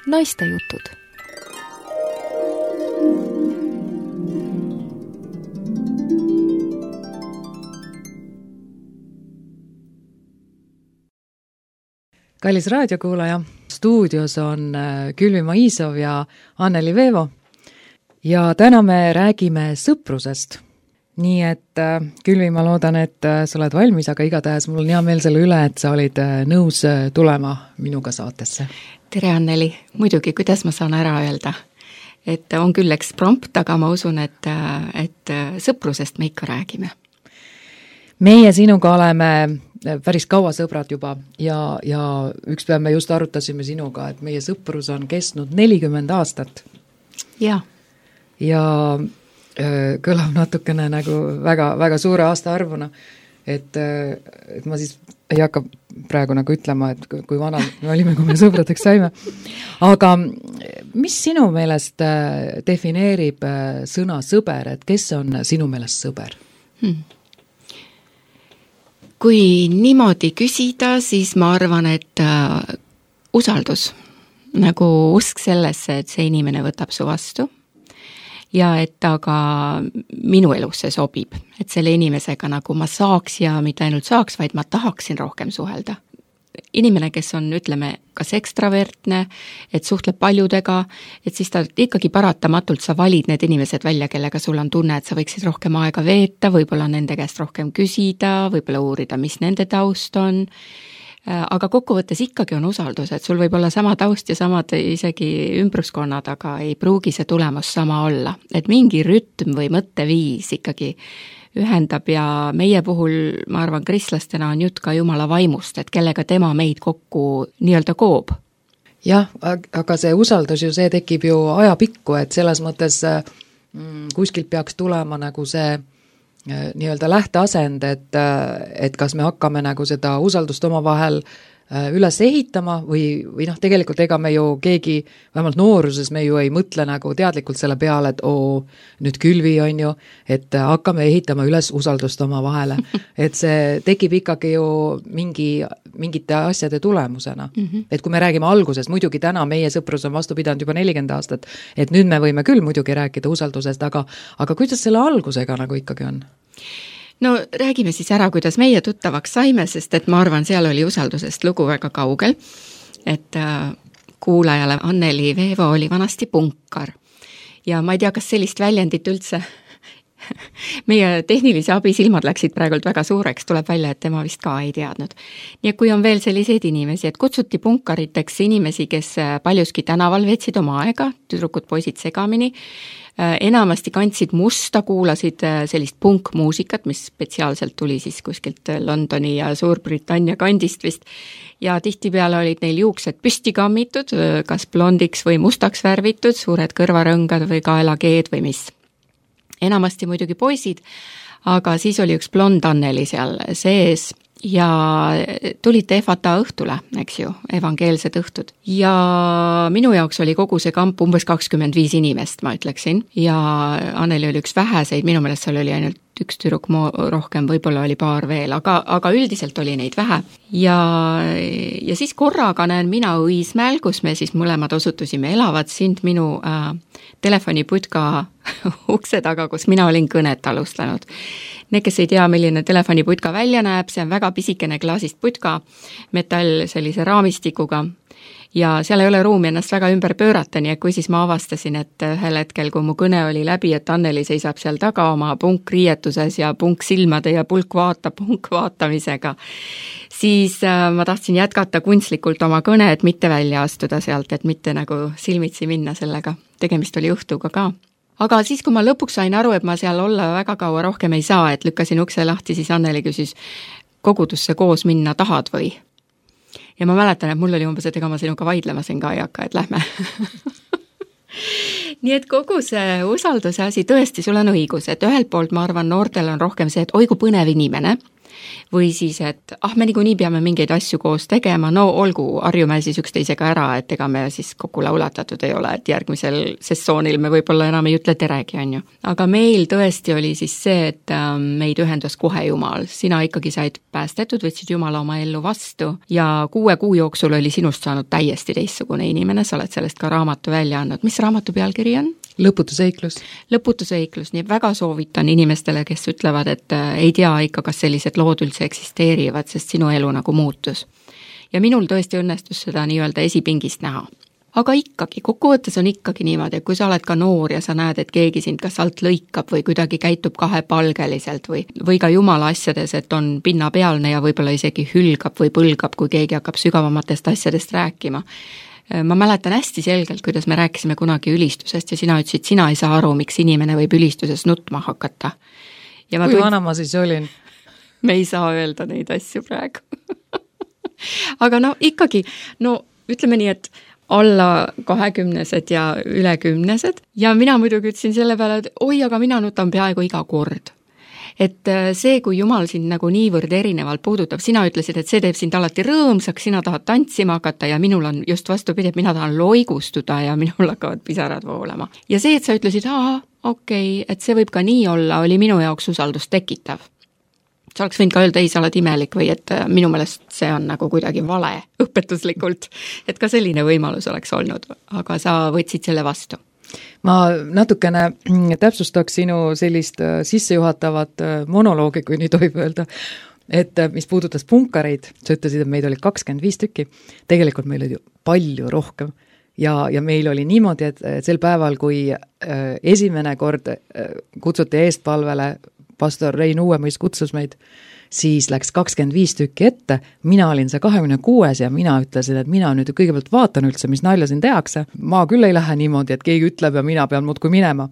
Naistejutud. Kallis raadiokuulaja, stuudios on Külvi Maisov ja Anneli Veevo ja täna me räägime sõprusest. Nii et Külvi, ma loodan, et sa oled valmis, aga igatahes mul on hea meel selle üle, et sa olid nõus tulema minuga saatesse. Tere Anneli, muidugi, kuidas ma saan ära öelda, et on küll eksprompt, aga ma usun, et sõprusest me ikka räägime. Meie sinuga oleme päris kaua sõbrad juba ja üks päev me just arutasime sinuga, et meie sõprus on kestnud 40 aastat. Ja kõlab natukene nagu väga, väga suure aasta arvuna, et ma siis ei hakka praegu nagu ütlema, et kui vana me olime, kui me sõbradeks saime. Aga mis sinu meelest defineerib sõna sõber, et kes on sinu meelest sõber? Kui niimoodi küsida, siis ma arvan, et usaldus, nagu usk sellesse, et see inimene võtab su vastu ja et ta ka minu elusse sobib, et selle inimesega nagu ma saaks ja mitte ainult saaks, vaid ma tahaksin rohkem suhelda. Inimene, kes on, ütleme, kas ekstravertne, et suhtleb paljudega, et siis ta ikkagi paratamatult sa valid need inimesed välja, kellega sul on tunne, et sa võiksid rohkem aega veeta, võib-olla nende käest rohkem küsida, võib-olla uurida, mis nende taust on. Aga kokkuvõttes ikkagi on usaldus, et sul võib olla sama taust ja samad isegi ümbruskonnad, aga ei pruugi see tulemus sama olla. Et mingi rütm või mõtteviis ikkagi ühendab ja meie puhul, ma arvan, kristlastena on jutt ka Jumala vaimust, et kellega tema meid kokku nii-öelda koob. Jah, aga see usaldus ju, see tekib ju ajapikku, et selles mõttes kuskilt peaks tulema nagu see nii-öelda lähteasend, et kas me hakkame nagu seda usaldust oma vahel üles ehitama või tegelikult ega me ju keegi, vähemalt nooruses me ju ei mõtle nagu teadlikult selle peale, et nüüd Külvi on ju, et hakkame ehitama üles usaldust oma vahele. Et see tekib ikkagi ju mingite asjade tulemusena. Et kui me räägime algusest, muidugi täna meie sõprus on vastu pidanud juba 40 aastat, et nüüd me võime küll muidugi rääkida usaldusest, aga kuidas selle algusega nagu ikkagi on? No räägime siis ära, kuidas meie tuttavaks saime, sest et ma arvan, seal oli usaldusest lugu väga kaugel, et kuulajale Anneli Veevo oli vanasti punkar ja ma ei tea, kas sellist väljendit üldse meie tehnilise abi silmad läksid praegult väga suureks, tuleb välja, et tema vist ka ei teadnud. Nii et kui on veel selliseid inimesi, et kutsuti punkariteks inimesi, kes paljuski tänaval veetsid oma aega, tüdrukud, poisid segamini, enamasti kandsid musta, kuulasid sellist punkmuusikat, mis spetsiaalselt tuli siis kuskilt Londoni ja Suurbritannia kandist vist, ja tihtipeale olid neil juuksed püsti kammitud, kas blondiks või mustaks värvitud, suured kõrvarõngad või kaelakeed või mis. Enamasti muidugi poisid, aga siis oli üks blond Anneli seal sees ja tulite ehvata õhtule, eks ju, evangeelsed õhtud. Ja minu jaoks oli kogu see kamp umbes 25 inimest, ma ütleksin, ja Anneli oli üks väheseid, minu meelest seal oli ainult üks tüdruk rohkem, võib-olla oli paar veel, aga üldiselt oli neid vähe. Ja siis korraga näen mina Õismäel, kus me siis mõlemad osutusime, elavad sind minu telefoniputka ukse taga, kus mina olin kõnet alustanud. Need, kes ei tea, milline telefoniputka välja näeb, see on väga pisikene klaasist putka, metall sellise raamistikuga ja seal ei ole ruumi ennast väga ümber pöörata, nii et kui siis ma avastasin, et ühel hetkel, kui mu kõne oli läbi, et Anneli seisab seal taga oma punkriietuses ja punksilmade ja pulk vaatamisega, siis ma tahtsin jätkata kunstlikult oma kõne, et mitte välja astuda sealt, et mitte nagu silmitsi minna sellega. Tegemist oli õhtuga ka. Aga siis, kui ma lõpuks sain aru, et ma seal olla väga kaua rohkem ei saa, et lükkasin ukse lahti, siis Anneli küsis, kogudusse koos minna tahad või? Ja ma mäletan, et mul oli umbes, et ega ma sinuga vaidlema siin ka ei hakka, et lähme. Nii et kogu see usalduse asi, tõesti, sul on õigus, et ühelt poolt ma arvan, noortel on rohkem see, et oi kui põnev inimene, Või siis, et me niikuinii peame mingeid asju koos tegema, no olgu, harjume siis üksteisega ära, et ega me siis kokku laulatatud ei ole, et järgmisel sessioonil me võib-olla enam ei ütle teregi, on ju. Aga meil tõesti oli siis see, et meid ühendas kohe Jumal. Sina ikkagi said päästetud, võtsid Jumala oma ellu vastu ja 6 kuu jooksul oli sinust saanud täiesti teistsugune inimene, sa oled sellest ka raamatu välja andnud. Mis raamatu pealkiri on? Lõputu seiklus. Lõputu seiklus, nii väga soovitan inimestele, kes ütlevad, et ei tea ikka, kas sellised lood üldse eksisteerivad, sest sinu elu nagu muutus. Ja minul tõesti õnnestus seda nii-öelda esipingist näha. Aga ikkagi, kokkuvõttes on ikkagi niimoodi, et kui sa oled ka noor ja sa näed, et keegi sind kas alt lõikab või kuidagi käitub kahepalgeliselt või ka Jumala asjades, et on pinnapealne ja võib-olla isegi hülgab või põlgab, kui keegi hakkab sügavamatest asjadest rääkima. Ma mäletan hästi selgelt, kuidas me rääkisime kunagi ülistusest ja sina ütlesid, sina ei saa aru, miks inimene võib ülistuses nutma hakata. Ja kui vana ma siis olin? Me ei saa öelda neid asju praegu. Aga no ikkagi, ütleme nii, et alla 20-sed ja üle 10-sed ja mina muidugi ütlesin selle peale, et oi, aga mina nutan peaaegu iga kord. Et see, kui Jumal sind nagu niivõrd erinevalt puudutab, sina ütlesid, et see teeb sind alati rõõmsaks, sina tahad tantsima hakata ja minul on just vastupidi, et mina tahan loigustuda ja minul hakkavad pisarad voolama. Ja see, et sa ütlesid, okei, et see võib ka nii olla, oli minu jaoks usaldust tekitav. Sa oleks võinud ka öelda, ei, sa oled imelik või et minu meelest see on nagu kuidagi vale õpetuslikult, et ka selline võimalus oleks olnud, aga sa võtsid selle vastu. Ma natukene täpsustaks sinu sellist sissejuhatavat monoloogi, kui nii tohib öelda, et mis puudutas punkareid, sa ütlesid, et meid oli 25 tükki, tegelikult meil oli palju rohkem ja meil oli niimoodi, et sel päeval, kui esimene kord kutsuti eestpalvele, pastor Rein Uuemõis kutsus meid, siis läks 25 tükki ette, mina olin see 26 ja mina ütlesin, et mina nüüd kõigepealt vaatan üldse, mis nalja siin tehakse. Ma küll ei lähe niimoodi, et keegi ütleb ja mina pean muudkui minema.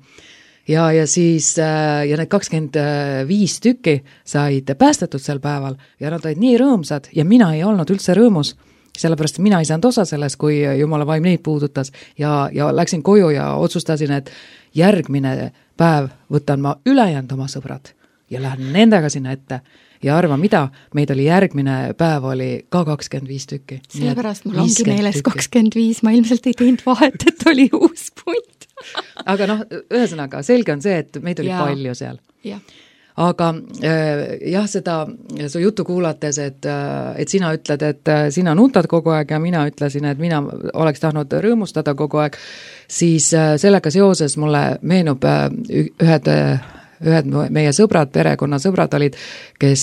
Ja siis ja need 25 tükki said päästetud sel päeval ja nad olid nii rõõmsad ja mina ei olnud üldse rõõmus, sellepärast mina ei saanud osa selles, kui Jumala vaim neid puudutas ja läksin koju ja otsustasin, et järgmine päev võtan ma ülejäänud oma sõbrad ja lähen nendega sinna ette. Ja arva mida, meid oli järgmine päev oli ka 25 tükki. Sellepärast mul ongi meeles 25, ma ilmselt ei teinud vahet, et oli uus punt. Aga ühesõnaga, selge on see, et meid oli palju seal. Ja. Aga jah, seda su jutu kuulates, et sina ütled, et sina nutad kogu aeg ja mina ütlesin, et mina oleks tahtnud rõõmustada kogu aeg, siis sellega seoses mulle meenub ühed meie sõbrad, perekonna sõbrad olid, kes,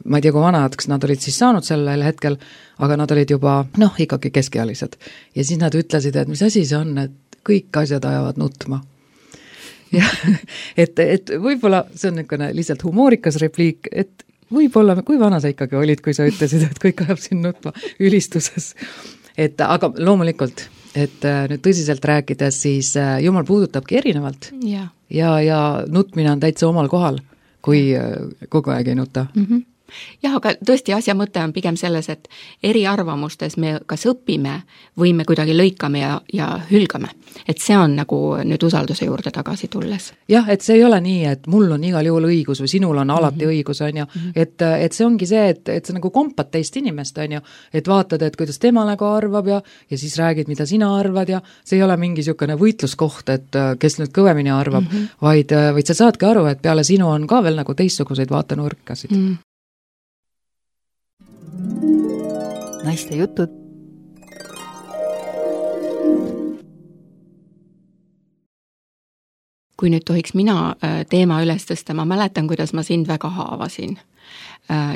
ma ei tea, kui vanadeks nad olid siis saanud sellel hetkel, aga nad olid juba, ikkagi keskealised. Ja siis nad ütlesid, et mis asi see on, et kõik asjad ajavad nutma. Ja, et võib-olla see on niisugune lihtsalt humoorikas repliik, et võib-olla, kui vana sa ikkagi olid, kui sa ütlesid, et kõik ajab siin nutma ülistuses. Aga loomulikult, et nüüd tõsiselt rääkides, siis Jumal puudutabki erinevalt ja nutmine on täitsa omal kohal, kui kogu aeg ei nuta. Mm-hmm. Jah, aga tõesti asja mõte on pigem selles, et eriarvamustes me kas õpime või me kuidagi lõikame ja hülgame. Et see on nagu nüüd usalduse juurde tagasi tulles. Jah, et see ei ole nii, et mul on igal juhul õigus või sinul on alati õigus, on ju. Et see ongi see, et see nagu kompad teist inimest, on ju. Et vaatad, et kuidas tema nagu arvab ja siis räägid, mida sina arvad ja see ei ole mingi niisugune võitluskoht, et kes nüüd kõvemini arvab, vaid sa saadki aru, et peale sinu on ka veel nagu teistsuguseid vaatenurkasid. Naiste jutud. Kui nüüd tohiks mina teema üles tõsta, ma mäletan, kuidas ma sind väga haavasin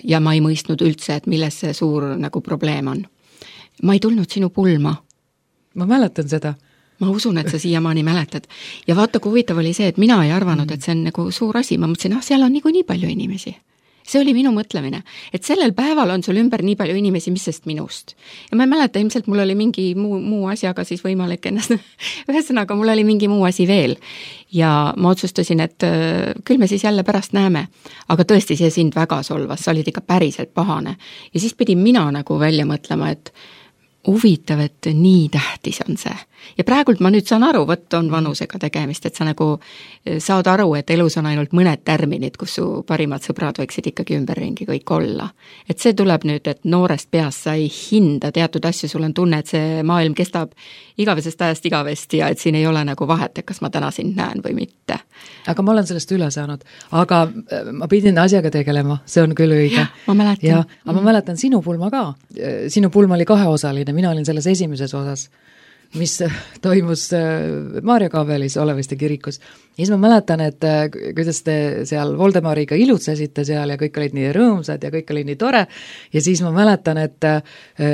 ja ma ei mõistnud üldse, et milles see suur nagu probleem on. Ma ei tulnud sinu pulma. Ma mäletan seda. Ma usun, et sa siiamaani mäletad. Ja vaata, kui huvitav oli see, et mina ei arvanud, et see on nagu suur asi. Ma mõtlesin, seal on nii palju inimesi. See oli minu mõtlemine, et sellel päeval on sul ümber nii palju inimesi, mis sest minust. Ja ma ei mäleta, ilmselt mul oli mingi muu asjaga siis võimalik ennast, ühesõnaga mul oli mingi muu asi veel. Ja ma otsustasin, et küll me siis jälle pärast näeme. Aga tõesti, see sind väga solvas, sa olid ikka päriselt pahane. Ja siis pidin mina nagu välja mõtlema, et huvitav, et nii tähtis on see. Ja praegult ma nüüd saan aru, võtt on vanusega tegemist, et sa nagu saad aru, et elus on ainult mõned tärminid, kus su parimad sõbrad võiksid ikkagi ümberringi kõik olla. Et see tuleb nüüd, et noorest peast sa ei hinda teatud asju, sul on tunne, et see maailm kestab igavesest ajast igavesti ja et siin ei ole nagu vahet, et kas ma täna sind näen või mitte. Aga ma olen sellest üle saanud, aga ma pidin asjaga tegelema, see on küll õige. Ma mäletan. Aga ma mäletan sinu pulma ka. Sinu pulm oli kaheosaline, mina olin selles esimeses osas, mis toimus Maarja Kaabelis Oleviste kirikus. Ja siis ma mäletan, et kuidas te seal Voldemariga ilutsesite seal ja kõik olid nii rõõmsad ja kõik oli nii tore. Ja siis ma mäletan, et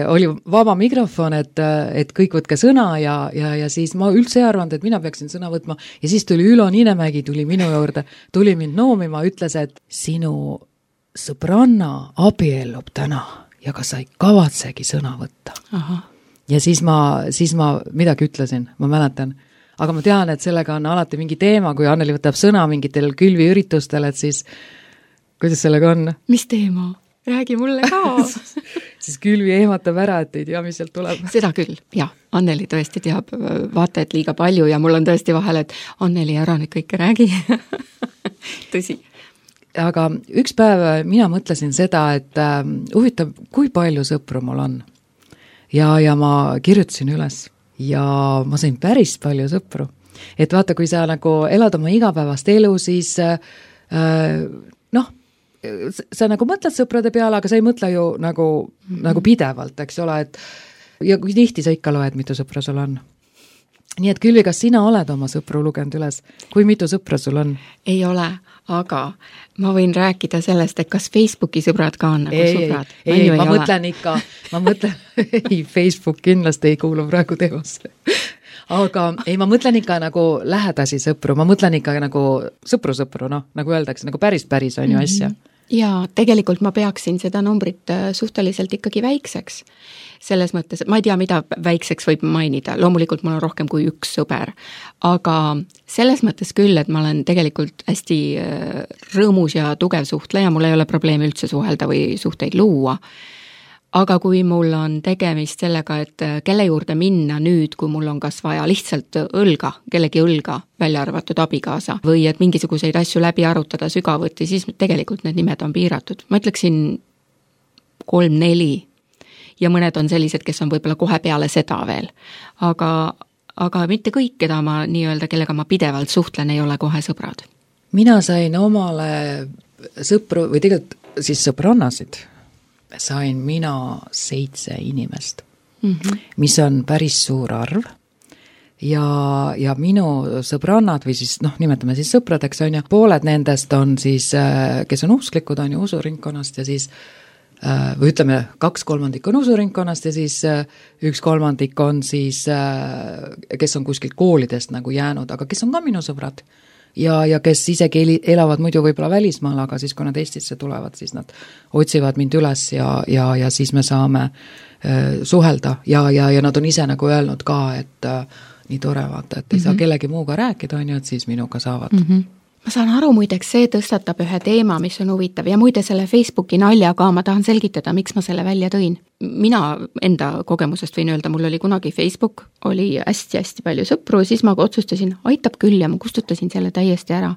oli vaba mikrofon, et kõik võtke sõna ja siis ma üldse ei arvanud, et mina peaksin sõna võtma. Ja siis tuli Ülo Niinemägi, tuli minu juurde, tuli mind noomima, ütles, et sinu sõbranna abiellub täna ja kas sa ei kavatsegi sõna võtta. Aha. Ja siis ma midagi ütlesin, ma mäletan. Aga ma tean, et sellega on alati mingi teema, kui Anneli võtab sõna mingitel külviüritustel, et siis kuidas sellega on? Mis teema? Räägi mulle ka. Siis külvi ehmatab ära, et ei tea, mis sealt tuleb. Seda küll, jah. Anneli tõesti teab vaata, et liiga palju ja mul on tõesti vahel, et Anneli ära nüüd kõike räägi. Tõsi. Aga üks päev mina mõtlesin seda, et huvitav, kui palju sõpru mul on. Ja ma kirjutasin üles ja ma sain päris palju sõpru. Et vaata, kui sa nagu elad oma igapäevast elu, siis sa nagu mõtled sõprade peale, aga sa ei mõtle ju nagu pidevalt, eks ole, et ja kui tihti sa ikka loed, mitu sõpra sul on. Nii et Külvi, kas sina oled oma sõpru lugenud üles? Kui mitu sõpra sul on? Ei ole, aga ma võin rääkida sellest, et kas Facebooki sõbrad ka on nagu sõbrad? Ei, ma mõtlen ikka, ei, Facebook kindlasti ei kuulu praegu teemasse. Aga ei, ma mõtlen ikka nagu lähedasi sõpru, ma mõtlen ikka nagu sõpru, nagu öeldakse, nagu päris on ju asja. Ja tegelikult ma peaksin seda numbrit suhteliselt ikkagi väikseks. Selles mõttes, ma ei tea, mida väikseks võib mainida, loomulikult mul on rohkem kui üks sõber, aga selles mõttes küll, et ma olen tegelikult hästi rõõmus ja tugev suhtleja, mul ei ole probleemi üldse suhelda või suhteid luua, aga kui mul on tegemist sellega, et kelle juurde minna nüüd, kui mul on kas vaja lihtsalt kellegi õlga, välja arvatud abikaasa, või et mingisuguseid asju läbi arutada sügavuti, siis tegelikult need nimed on piiratud. Ma ütleksin 3-4 ja mõned on sellised, kes on võib-olla kohe peale seda veel. Aga mitte kõik, kellega ma pidevalt suhtlen, ei ole kohe sõbrad. Mina sain omale sõpru, või tegelikult siis sõbrannasid, sain mina 7 inimest, mis on päris suur arv. Ja minu sõbrannad või siis, nimetame siis sõpradeks, on ju, pooled nendest on siis, kes on usklikud, on ju usuringkonnast ja siis või ütleme, 2/3 on usuringkonnast ja siis 1/3 on siis, kes on kuskilt koolidest nagu jäänud, aga kes on ka minu sõbrad ja kes isegi elavad muidu võib-olla välismaal, aga siis kui nad Eestisse tulevad, siis nad otsivad mind üles ja siis me saame suhelda ja nad on ise nagu öelnud ka, et nii tore vaata, et ei saa kellegi muuga rääkida, on ju, et siis minuga saavad. Ma saan aru, muideks see tõstatab ühe teema, mis on huvitav ja muide selle Facebooki naljaga ma tahan selgitada, miks ma selle välja tõin. Mina enda kogemusest võin öelda, mul oli kunagi Facebook, oli hästi-hästi palju sõpru ja siis ma otsustasin, aitab küll ja ma kustutasin selle täiesti ära.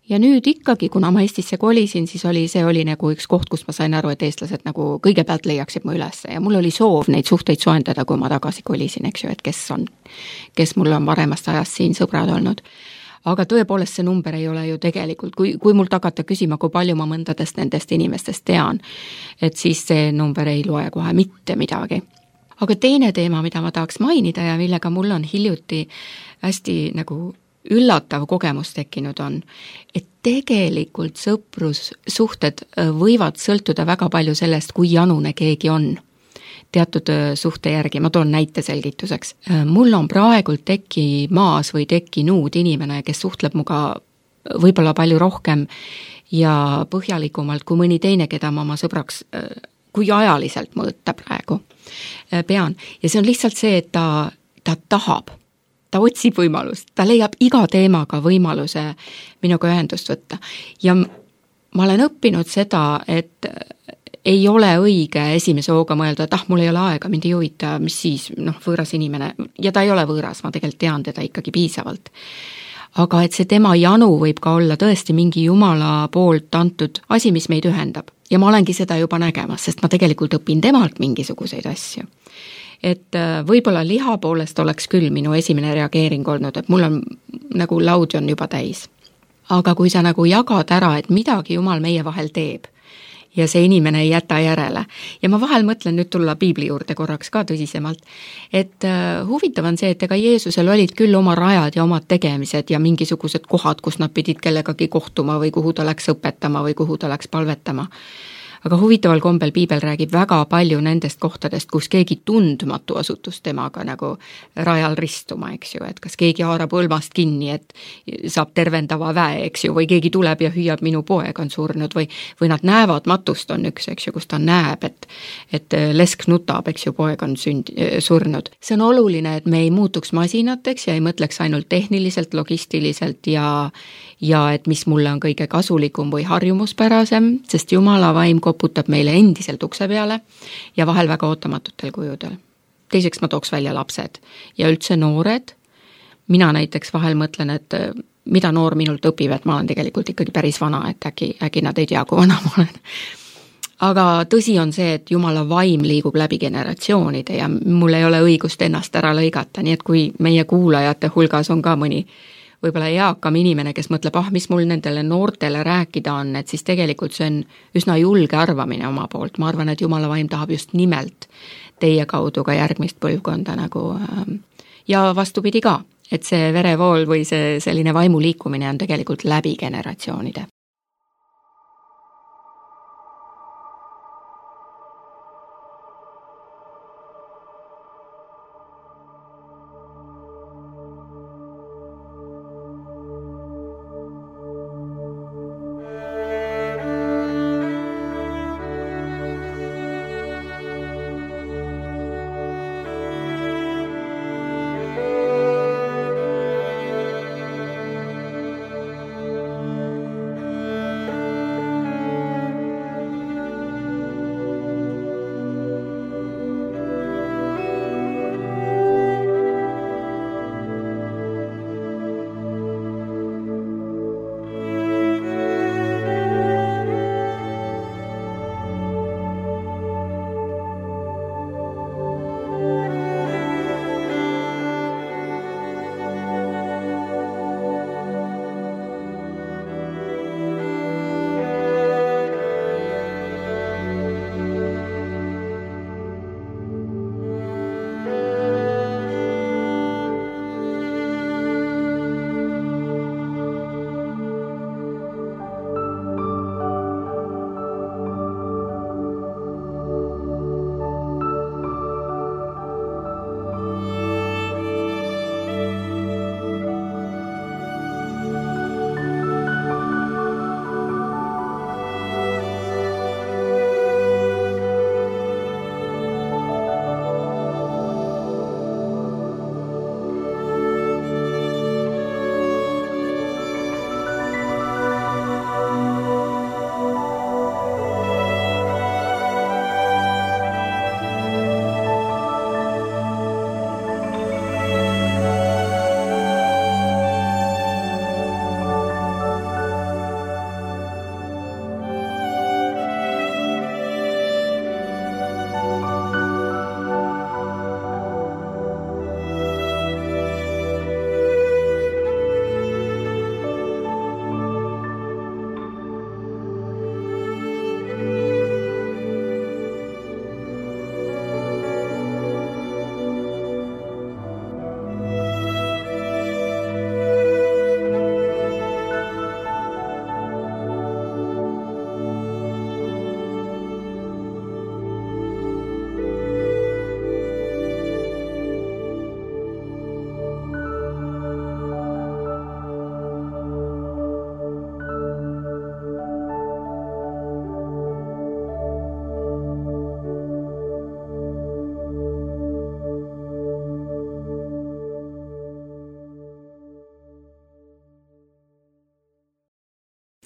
Ja nüüd ikkagi, kuna ma Eestisse kolisin, siis see oli nagu üks koht, kus ma sain aru, et eestlased nagu kõigepealt leiaksid mu üles ja mul oli soov neid suhteid soendada, kui ma tagasi kolisin, eks ju, et kes mul on varemast ajast siin sõbrad olnud. Aga tõepoolest see number ei ole ju tegelikult, kui mult hakata küsima, kui palju ma mõndadest nendest inimestest tean, et siis see number ei loe kohe mitte midagi. Aga teine teema, mida ma tahaks mainida ja millega mul on hiljuti hästi nagu üllatav kogemus tekkinud on, et tegelikult sõprussuhted võivad sõltuda väga palju sellest, kui janune keegi on teatud suhte järgi. Ma toon näite selgituseks. Mul on praegult tekkimaas või tekkinud inimene, kes suhtleb muga võib-olla palju rohkem ja põhjalikumalt kui mõni teine, keda ma oma sõbraks, kui ajaliselt mõõta praegu pean. Ja see on lihtsalt see, et ta tahab. Ta otsib võimalust, ta leiab iga teemaga võimaluse minuga ühendust võtta. Ja ma olen õppinud seda, ei ole õige esimese hooga mõelda, et mul ei ole aega, mind ei huvita, mis siis, võõras inimene, ja ta ei ole võõras, ma tegelikult tean teda ikkagi piisavalt. Aga et see tema janu võib ka olla tõesti mingi Jumala poolt antud asi, mis meid ühendab. Ja ma olengi seda juba nägemas, sest ma tegelikult õpin temalt mingisuguseid asju. Et võib-olla liha poolest oleks küll minu esimene reageering olnud, et mul on nagu laud on juba täis. Aga kui sa nagu jagad ära, et midagi Jumal meie vahel teeb, ja see inimene ei jäta järele. Ja ma vahel mõtlen nüüd tulla piibli juurde korraks ka tõsisemalt, et huvitav on see, et ega Jeesusel olid küll oma rajad ja omad tegemised ja mingisugused kohad, kus nad pidid kellegagi kohtuma või kuhu ta läks õpetama või kuhu ta läks palvetama. Aga huvitaval kombel piibel räägib väga palju nendest kohtadest, kus keegi tundmatu asutus temaga nagu rajal ristuma, eks ju, et kas keegi haarab õlmast kinni, et saab tervendava väe, eks ju, või keegi tuleb ja hüüab, minu poeg on surnud või nad näevad, matust on üks, eks ju, kus ta näeb, et lesk nutab, eks ju, poeg on surnud. See on oluline, et me ei muutuks masinateks ja ei mõtleks ainult tehniliselt, logistiliselt ja et mis mulle on kõige kasulikum või harjumuspärasem, sest Jumala vaim koputab meile endiselt ukse peale ja vahel väga ootamatutel kujudel. Teiseks ma tooks välja lapsed ja üldse noored. Mina näiteks vahel mõtlen, et mida noor minult õpib, et ma olen tegelikult ikkagi päris vana, et äkki nad ei tea, kui vana ma olen. Aga tõsi on see, et Jumala vaim liigub läbi generatsioonide ja mul ei ole õigust ennast ära lõigata, nii et kui meie kuulajate hulgas on ka mõni võib-olla eakam inimene, kes mõtleb, mis mul nendele noortele rääkida on, et siis tegelikult see on üsna julge arvamine oma poolt. Ma arvan, et Jumala vaim tahab just nimelt teie kaudu ka järgmist põlvkonda nagu ja vastupidi ka, et see verevool või see selline vaimu liikumine on tegelikult läbi generatsioonide.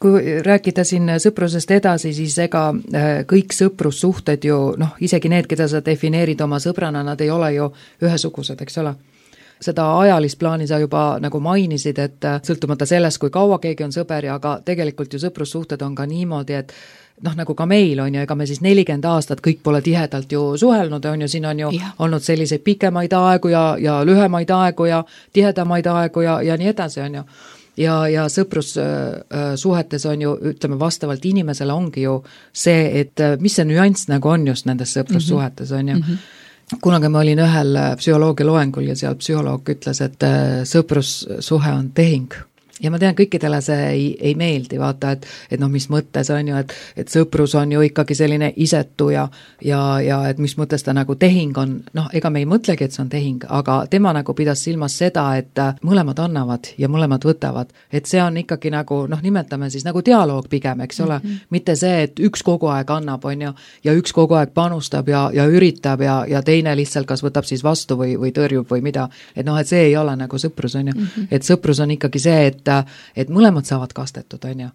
kui rääkida siin sõprusest edasi, siis ega kõik sõprussuhted ju, isegi need, keda sa defineerid oma sõbrana, nad ei ole ju ühesugused, eks ole. Seda ajalist plaani sa juba nagu mainisid, et sõltumata sellest, kui kaua keegi on sõber, aga tegelikult ju sõprussuhted on ka niimoodi, et nagu ka meil on ju, ega me siis 40 aastat kõik pole tihedalt ju suhelnud, on ju, siin on ju olnud selliseid pikemaid aegu ja lühemaid aegu ja tihedamaid aegu ja nii edasi, on ju. Ja sõprussuhetes on ju, ütleme vastavalt inimesele ongi ju see, et mis see nüanss nagu on just nendes sõprussuhetes, on ju. Kunagi ma olin ühel psühholoogia loengul ja seal psühholoog ütles, et sõprussuhe on tehing. Ja ma tean, kõikidele see ei meeldi, vaata, et mis mõttes on ju, et sõprus on ju ikkagi selline isetu ja et mis mõttes ta nagu tehing on, ega me ei mõtlegi, et see on tehing, aga tema nagu pidas silmas seda, et mõlemad annavad ja mõlemad võtavad, et see on ikkagi nagu, nimetame siis nagu dialoog pigem, eks ole, mitte see, et üks kogu aeg annab, on ju, ja üks kogu aeg panustab ja üritab ja teine lihtsalt kas võtab siis vastu või tõrjub või mida, et see ei ole nagu sõprus, on ju, et sõprus on ikkagi see, et mõlemad saavad kastetud, on ju.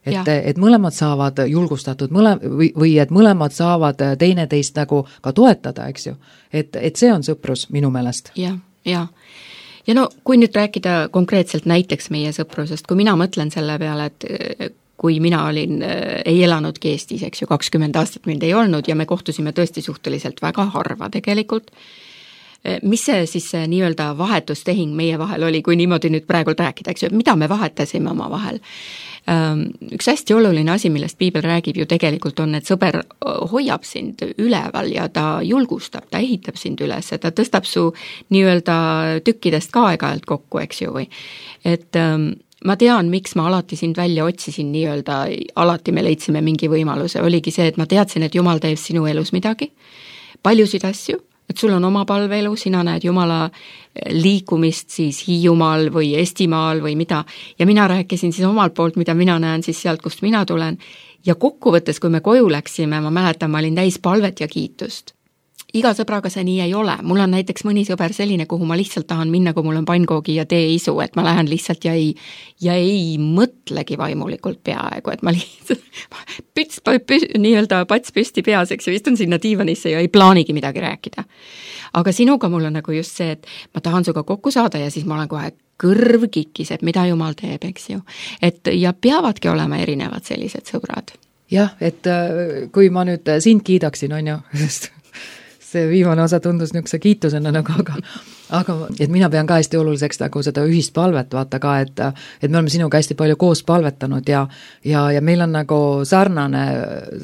Et mõlemad saavad julgustatud või et mõlemad saavad teineteist nagu ka toetada, eks ju. Et see on sõprus minu meelest. Ja kui nüüd rääkida konkreetselt näiteks meie sõprusest, kui mina mõtlen selle peale, et kui mina ei elanudki Eestis, eks ju, 20 aastat mind ei olnud ja me kohtusime tõesti suhteliselt väga harva tegelikult, mis see siis see nii-öelda vahetustehing meie vahel oli, kui niimoodi nüüd praegu rääkida, eks ju, mida me vahetasime oma vahel? Üks hästi oluline asi, millest Piibel räägib ju tegelikult on, et sõber hoiab sind üleval ja ta julgustab, ta ehitab sind üles, ta tõstab su nii-öelda tükkidest ka aeg-ajalt kokku, eks ju, või et ma tean, miks ma alati sind välja otsisin nii-öelda, alati me leidsime mingi võimaluse, oligi see, et ma teadsin, et Jumal teeb sinu elus midagi, paljusid asju, et sul on oma palveelu, sina näed Jumala liikumist siis Hiiumaal või Estimaal või mida, ja mina rääkisin siis omalt poolt, mida mina näen siis sealt, kust mina tulen, ja kokkuvõttes, kui me koju läksime, ma mäletan, ma olin täis palvet ja kiitust. Iga sõbraga see nii ei ole, mul on näiteks mõni sõber selline, kuhu ma lihtsalt tahan minna, kui mul on pannkoogi ja teeisu, et ma lähen lihtsalt ja ei mõtlegi vaimulikult peaaegu, et ma lihtsalt nii-öelda pats püsti peas, eks ju, istun sinna diivanisse ja ei plaanigi midagi rääkida. Aga sinuga mul on nagu just see, et ma tahan suga kokku saada ja siis ma olen kohe kõrv kikiseb, mida Jumal teeb, eks ju. Ja peavadki olema erinevad sellised sõbrad. Jah, et kui ma nüüd sind kiidaksin, on ju, sest see viimane osa tundus niisuguse kiitusena nagu, aga et mina pean ka hästi oluliseks nagu seda ühist palvet, vaata ka, et me oleme sinuga hästi palju koos palvetanud ja meil on nagu sarnane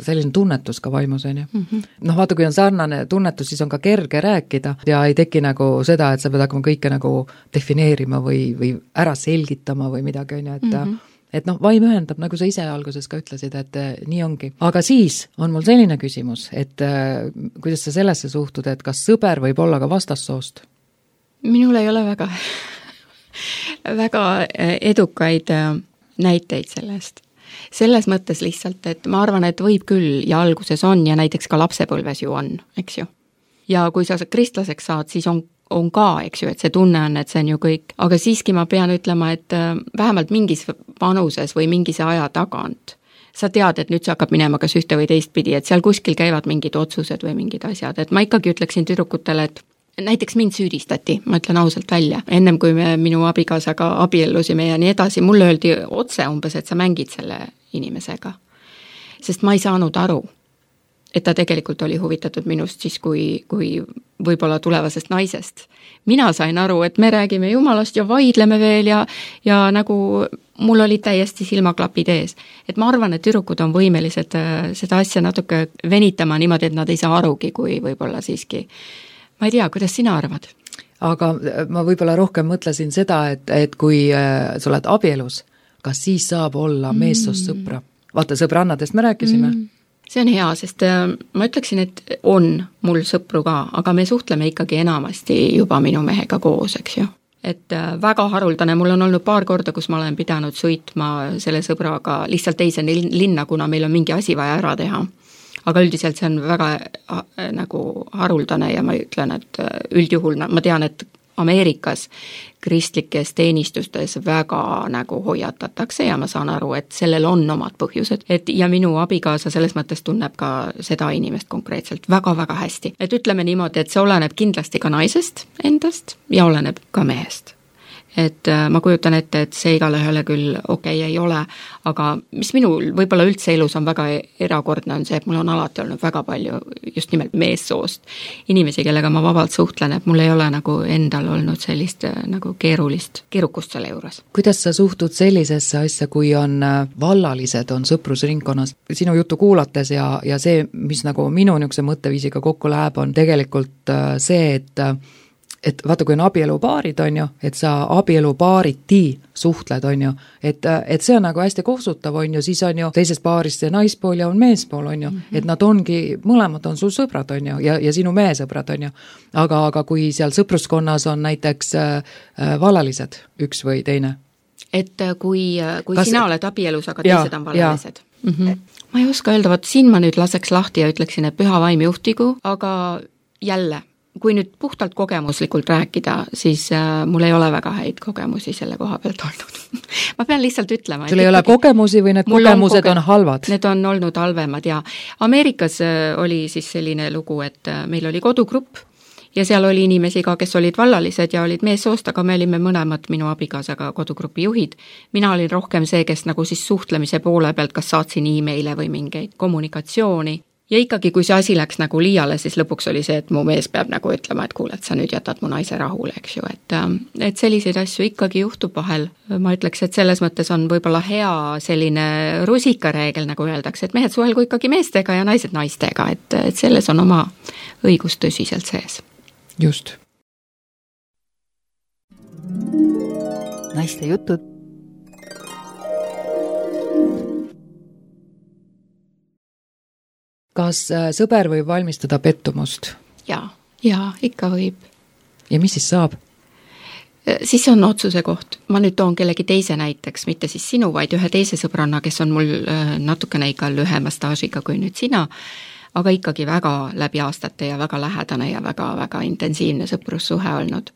selline tunnetus ka vaimus, on ju. Vaata, kui on sarnane tunnetus, siis on ka kerge rääkida ja ei teki nagu seda, et sa pead hakkama kõike nagu defineerima või ära selgitama või midagi, on ju, et vaim ühendab, nagu sa ise alguses ka ütlesid, et nii ongi. Aga siis on mul selline küsimus, et kuidas sa sellesse suhtud, et kas sõber võib olla ka vastassoost? Minul ei ole väga edukaid näiteid sellest. Selles mõttes lihtsalt, et ma arvan, et võib küll ja alguses on ja näiteks ka lapsepõlves ju on, eks ju. Ja kui sa kristlaseks saad, siis on ka, eks ju, et see tunne on, et see on ju kõik, aga siiski ma pean ütlema, et vähemalt mingis vanuses või mingise aja tagant sa tead, et nüüd see hakkab minema kas ühte või teist pidi, et seal kuskil käivad mingid otsused või mingid asjad, et ma ikkagi ütleksin tüdrukutele, et näiteks mind süüdistati, ma ütlen ausalt välja, ennem kui me minu abikaasaga abiellusime ja nii edasi, mulle öeldi otse umbes, et sa mängid selle inimesega, sest ma ei saanud aru, et ta tegelikult oli huvitatud minust siis, kui võib-olla tulevasest naisest. Mina sain aru, et me räägime Jumalast ja vaidleme veel ja nagu mul olid täiesti silmaklapid ees. Et ma arvan, et tüdrukud on võimelised seda asja natuke venitama niimoodi, et nad ei saa arugi, kui võib-olla siiski. Ma ei tea, kuidas sina arvad? Aga ma võib-olla rohkem mõtlesin seda, et kui sa oled abielus, kas siis saab olla meessoost sõpra? Vaata, sõbrannadest me rääkisime. See on hea, sest ma ütleksin, et on mul sõpru ka, aga me suhtleme ikkagi enamasti juba minu mehega koos, eks ju. Et väga haruldane, mul on olnud paar korda, kus ma olen pidanud sõitma selle sõbraga lihtsalt teise linna, kuna meil on mingi asi vaja ära teha. Aga üldiselt see on väga nagu haruldane ja ma ütlen, et üldjuhul ma tean, et Ameerikas kristlikes teenistustes väga nagu hoiatatakse ja ma saan aru, et sellel on omad põhjused. Ja minu abikaasa selles mõttes tunneb ka seda inimest konkreetselt väga-väga hästi. Et ütleme niimoodi, et see oleneb kindlasti ka naisest endast ja oleneb ka mehest. Et ma kujutan ette, et see igale ühele küll okei ei ole, aga mis minul võib-olla üldse elus on väga erakordne, on see, et mul on alati olnud väga palju just nimelt meessoost inimesi, kellega ma vabalt suhtlen, et mul ei ole nagu endal olnud sellist nagu keerukust selle juures. Kuidas sa suhtud sellisesse asja, kui on vallalised, on sõprusringkonnas? Sinu juttu kuulates ja see, mis nagu minu niisuguse mõtteviisiga kokku läheb, on tegelikult see, et vaata, kui on abielupaarid, on ju, et sa abielupaariti suhtled, on ju, et see on nagu hästi kohsutav, on ju, siis on ju teisest paarist see naispool ja on meespool, on ju, et nad ongi, mõlemad on sul sõbrad, on ju, ja sinu meesõbrad, on ju. Aga kui seal sõpruskonnas on näiteks vallalised, üks või teine? Et kui sina oled abielus, aga teised on vallalised? Ma ei oska öelda, vaat siin ma nüüd laseks lahti ja ütleksin, et püha vaim juhtigu, aga jälle, kui nüüd puhtalt kogemuslikult rääkida, siis mul ei ole väga häid kogemusi selle koha pealt olnud. Ma pean lihtsalt ütlema. Sul ei ole kogemusi või need kogemused on halvad? Need on olnud halvemad ja Ameerikas oli siis selline lugu, et meil oli kodugrupp ja seal oli inimesi ka, kes olid vallalised ja olid meessoost, aga me olime mõlemad minu abikaasaga kodugrupi juhid. Mina olin rohkem see, kes nagu siis suhtlemise poole pealt, kas saatsin e-maile või mingeid kommunikatsiooni. Ja ikkagi, kui see asi läks nagu liiale, siis lõpuks oli see, et mu mees peab nagu ütlema, et kuule, et sa nüüd jätad mu naise rahule, eks ju, et selliseid asju ikkagi juhtub vahel. Ma ütleks, et selles mõttes on võib-olla hea selline rusikareegel, nagu öeldakse, et mehed suhelgu ikkagi meestega ja naised naistega, et selles on oma õigus tõsiselt sees. Just. Naiste jutud. Kas sõber võib valmistada pettumust? Jaa, ikka võib. Ja mis siis saab? Siis on otsuse koht. Ma nüüd toon kellegi teise näiteks, mitte siis sinu, vaid ühe teise sõbranna, kes on mul natukene ikka lühema staažiga kui nüüd sina, aga ikkagi väga läbi aastate ja väga lähedane ja väga-väga intensiivne sõprussuhe olnud.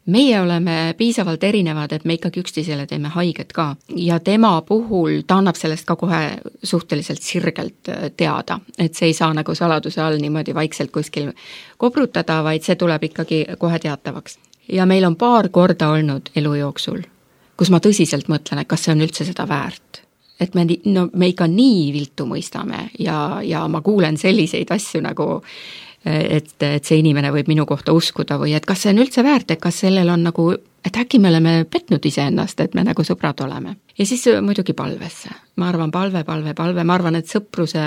Meie oleme piisavalt erinevad, et me ikkagi üksteisele teeme haiget ka ja tema puhul ta annab sellest ka kohe suhteliselt sirgelt teada, et see ei saa nagu saladuse all niimoodi vaikselt kuskil kobrutada, vaid see tuleb ikkagi kohe teatavaks. Ja meil on paar korda olnud elu jooksul, kus ma tõsiselt mõtlen, et kas see on üldse seda väärt. Et me ikka nii viltu mõistame ja ma kuulen selliseid asju nagu et see inimene võib minu kohta uskuda või et kas see on üldse väärt, et kas sellel on nagu, et äkki me oleme petnud iseennast, et me nagu sõbrad oleme. Ja siis muidugi palvesse. Ma arvan palve. Ma arvan, et sõpruse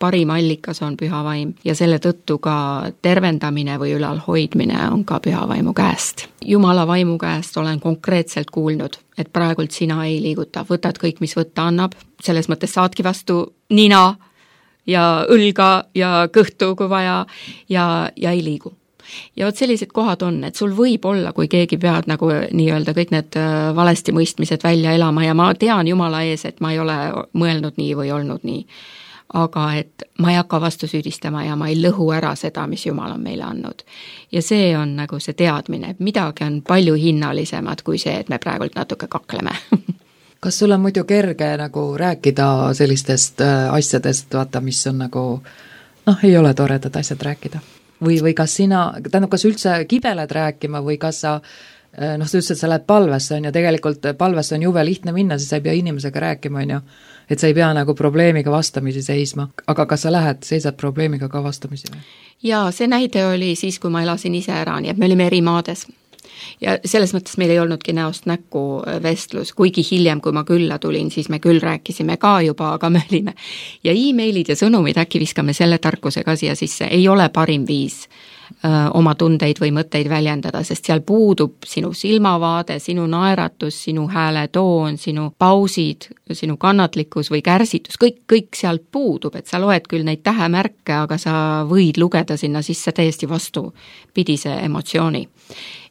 parim allikas on püha vaim ja selle tõttu ka tervendamine või ülalhoidmine on ka püha vaimu käest. Jumala vaimu käest olen konkreetselt kuulnud, et praegult sina ei liiguta, võtad kõik, mis võtta annab, selles mõttes saadki vastu nina ja õlga ja kõhtu, kui vaja, ja ei liigu. Ja vot sellised kohad on, et sul võib olla, kui keegi peab nagu nii-öelda kõik need valesti mõistmised välja elama ja ma tean Jumala ees, et ma ei ole mõelnud nii või olnud nii. Aga et ma ei hakka vastu süüdistama ja ma ei lõhu ära seda, mis Jumal on meile andnud. Ja see on nagu see teadmine, et midagi on palju hinnalisemad kui see, et me praegult natuke kakleme. Kas sul on muidu kerge nagu rääkida sellistest asjadest, vaata, mis on nagu, ei ole toredad asjad rääkida? Või kas kas üldse kibeled rääkima või kas sa, sa ütlesid, et sa lähed palvesse, on ju, tegelikult palvesse on jube lihtne minna, siis sa ei pea inimesega rääkima, on ju, et sa ei pea nagu probleemiga vastamisi seisma. Aga kas sa seisad probleemiga ka vastamisi? Jaa, see näide oli siis, kui ma elasin ise ära, nii et me olime eri maades. Ja selles mõttes meil ei olnudki näost näkku vestlus, kuigi hiljem, kui ma külla tulin, siis me küll rääkisime ka juba, aga me olime. Ja e-mailid ja sõnumid, äkki viskame selle tarkuse ka siia sisse, ei ole parim viis oma tundeid või mõtteid väljendada, sest seal puudub sinu silmavaade, sinu naeratus, sinu hääle toon, sinu pausid, sinu kannatlikkus või kärsitus, kõik sealt puudub, et sa loed küll neid tähemärke, aga sa võid lugeda sinna sisse täiesti vastupidise emotsiooni.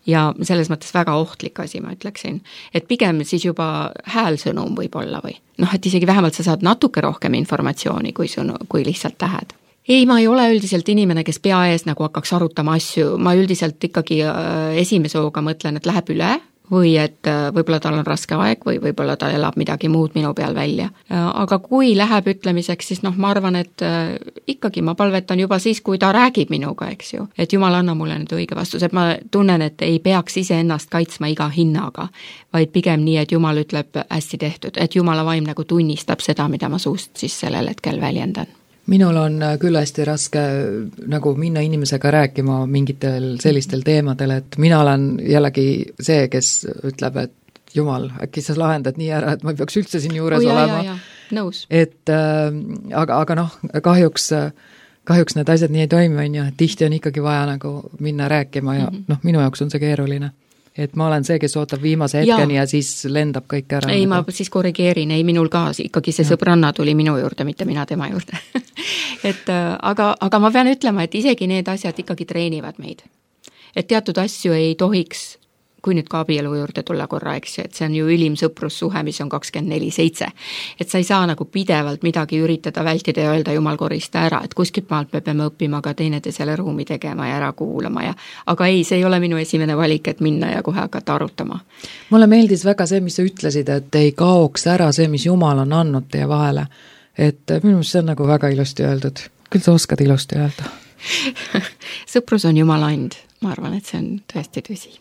Ja selles mõttes väga ohtlik asi, ma ütleksin, et pigem siis juba häälsõnum võib olla või et isegi vähemalt sa saad natuke rohkem informatsiooni kui lihtsalt tähed. Ei, ma ei ole üldiselt inimene, kes pea ees nagu hakkaks arutama asju, ma üldiselt ikkagi esimese hooga mõtlen, et läheb üle või et võib-olla tal on raske aeg või võib-olla ta elab midagi muud minu peal välja. Aga kui läheb ütlemiseks, siis ma arvan, et ikkagi ma palvetan juba siis, kui ta räägib minuga, eks ju. Et Jumal anna mulle nüüd õige vastus, et ma tunnen, et ei peaks ise ennast kaitsma iga hinnaga, vaid pigem nii, et Jumal ütleb hästi tehtud, et Jumala vaim nagu tunnistab seda, mida ma suust siis sellel hetkel väljendan. Minul on küll hästi raske nagu minna inimesega rääkima mingitel sellistel teemadel, et mina olen jällegi see, kes ütleb, et Jumal, äkki sa lahendad nii ära, et ma ei peaks üldse siin juures olema. Nõus. Et aga kahjuks need asjad nii ei toimi, on ju, et tihti on ikkagi vaja nagu minna rääkima ja minu jaoks on see keeruline. Et ma olen see, kes ootab viimase hetkeni ja siis lendab kõik ära. Ei, ma siis korrigeerin, ei minul ka, ikkagi see sõbranna tuli minu juurde, mitte mina tema juurde. aga ma pean ütlema, et isegi need asjad ikkagi treenivad meid. Et teatud asju ei tohiks, kui nüüd ka abielu juurde tulla korra, eks, et see on ju ülim sõprussuhe, mis on 24/7. Et sa ei saa nagu pidevalt midagi üritada vältida ja öelda Jumal korista ära, et kuskilt maalt me peame õppima ka teineteisele ruumi tegema ja ära kuulama aga ei, see ei ole minu esimene valik, et minna ja kohe hakata arutama. Mulle meeldis väga see, mis sa ütlesid, et ei kaoks ära see, mis Jumal on andnud teie vahele. Et minu meelest see on nagu väga ilusti öeldud. Küll sa oskad ilusti öelda. Sõprus on Jumala and. Ma arvan, et see on tõesti tõsi.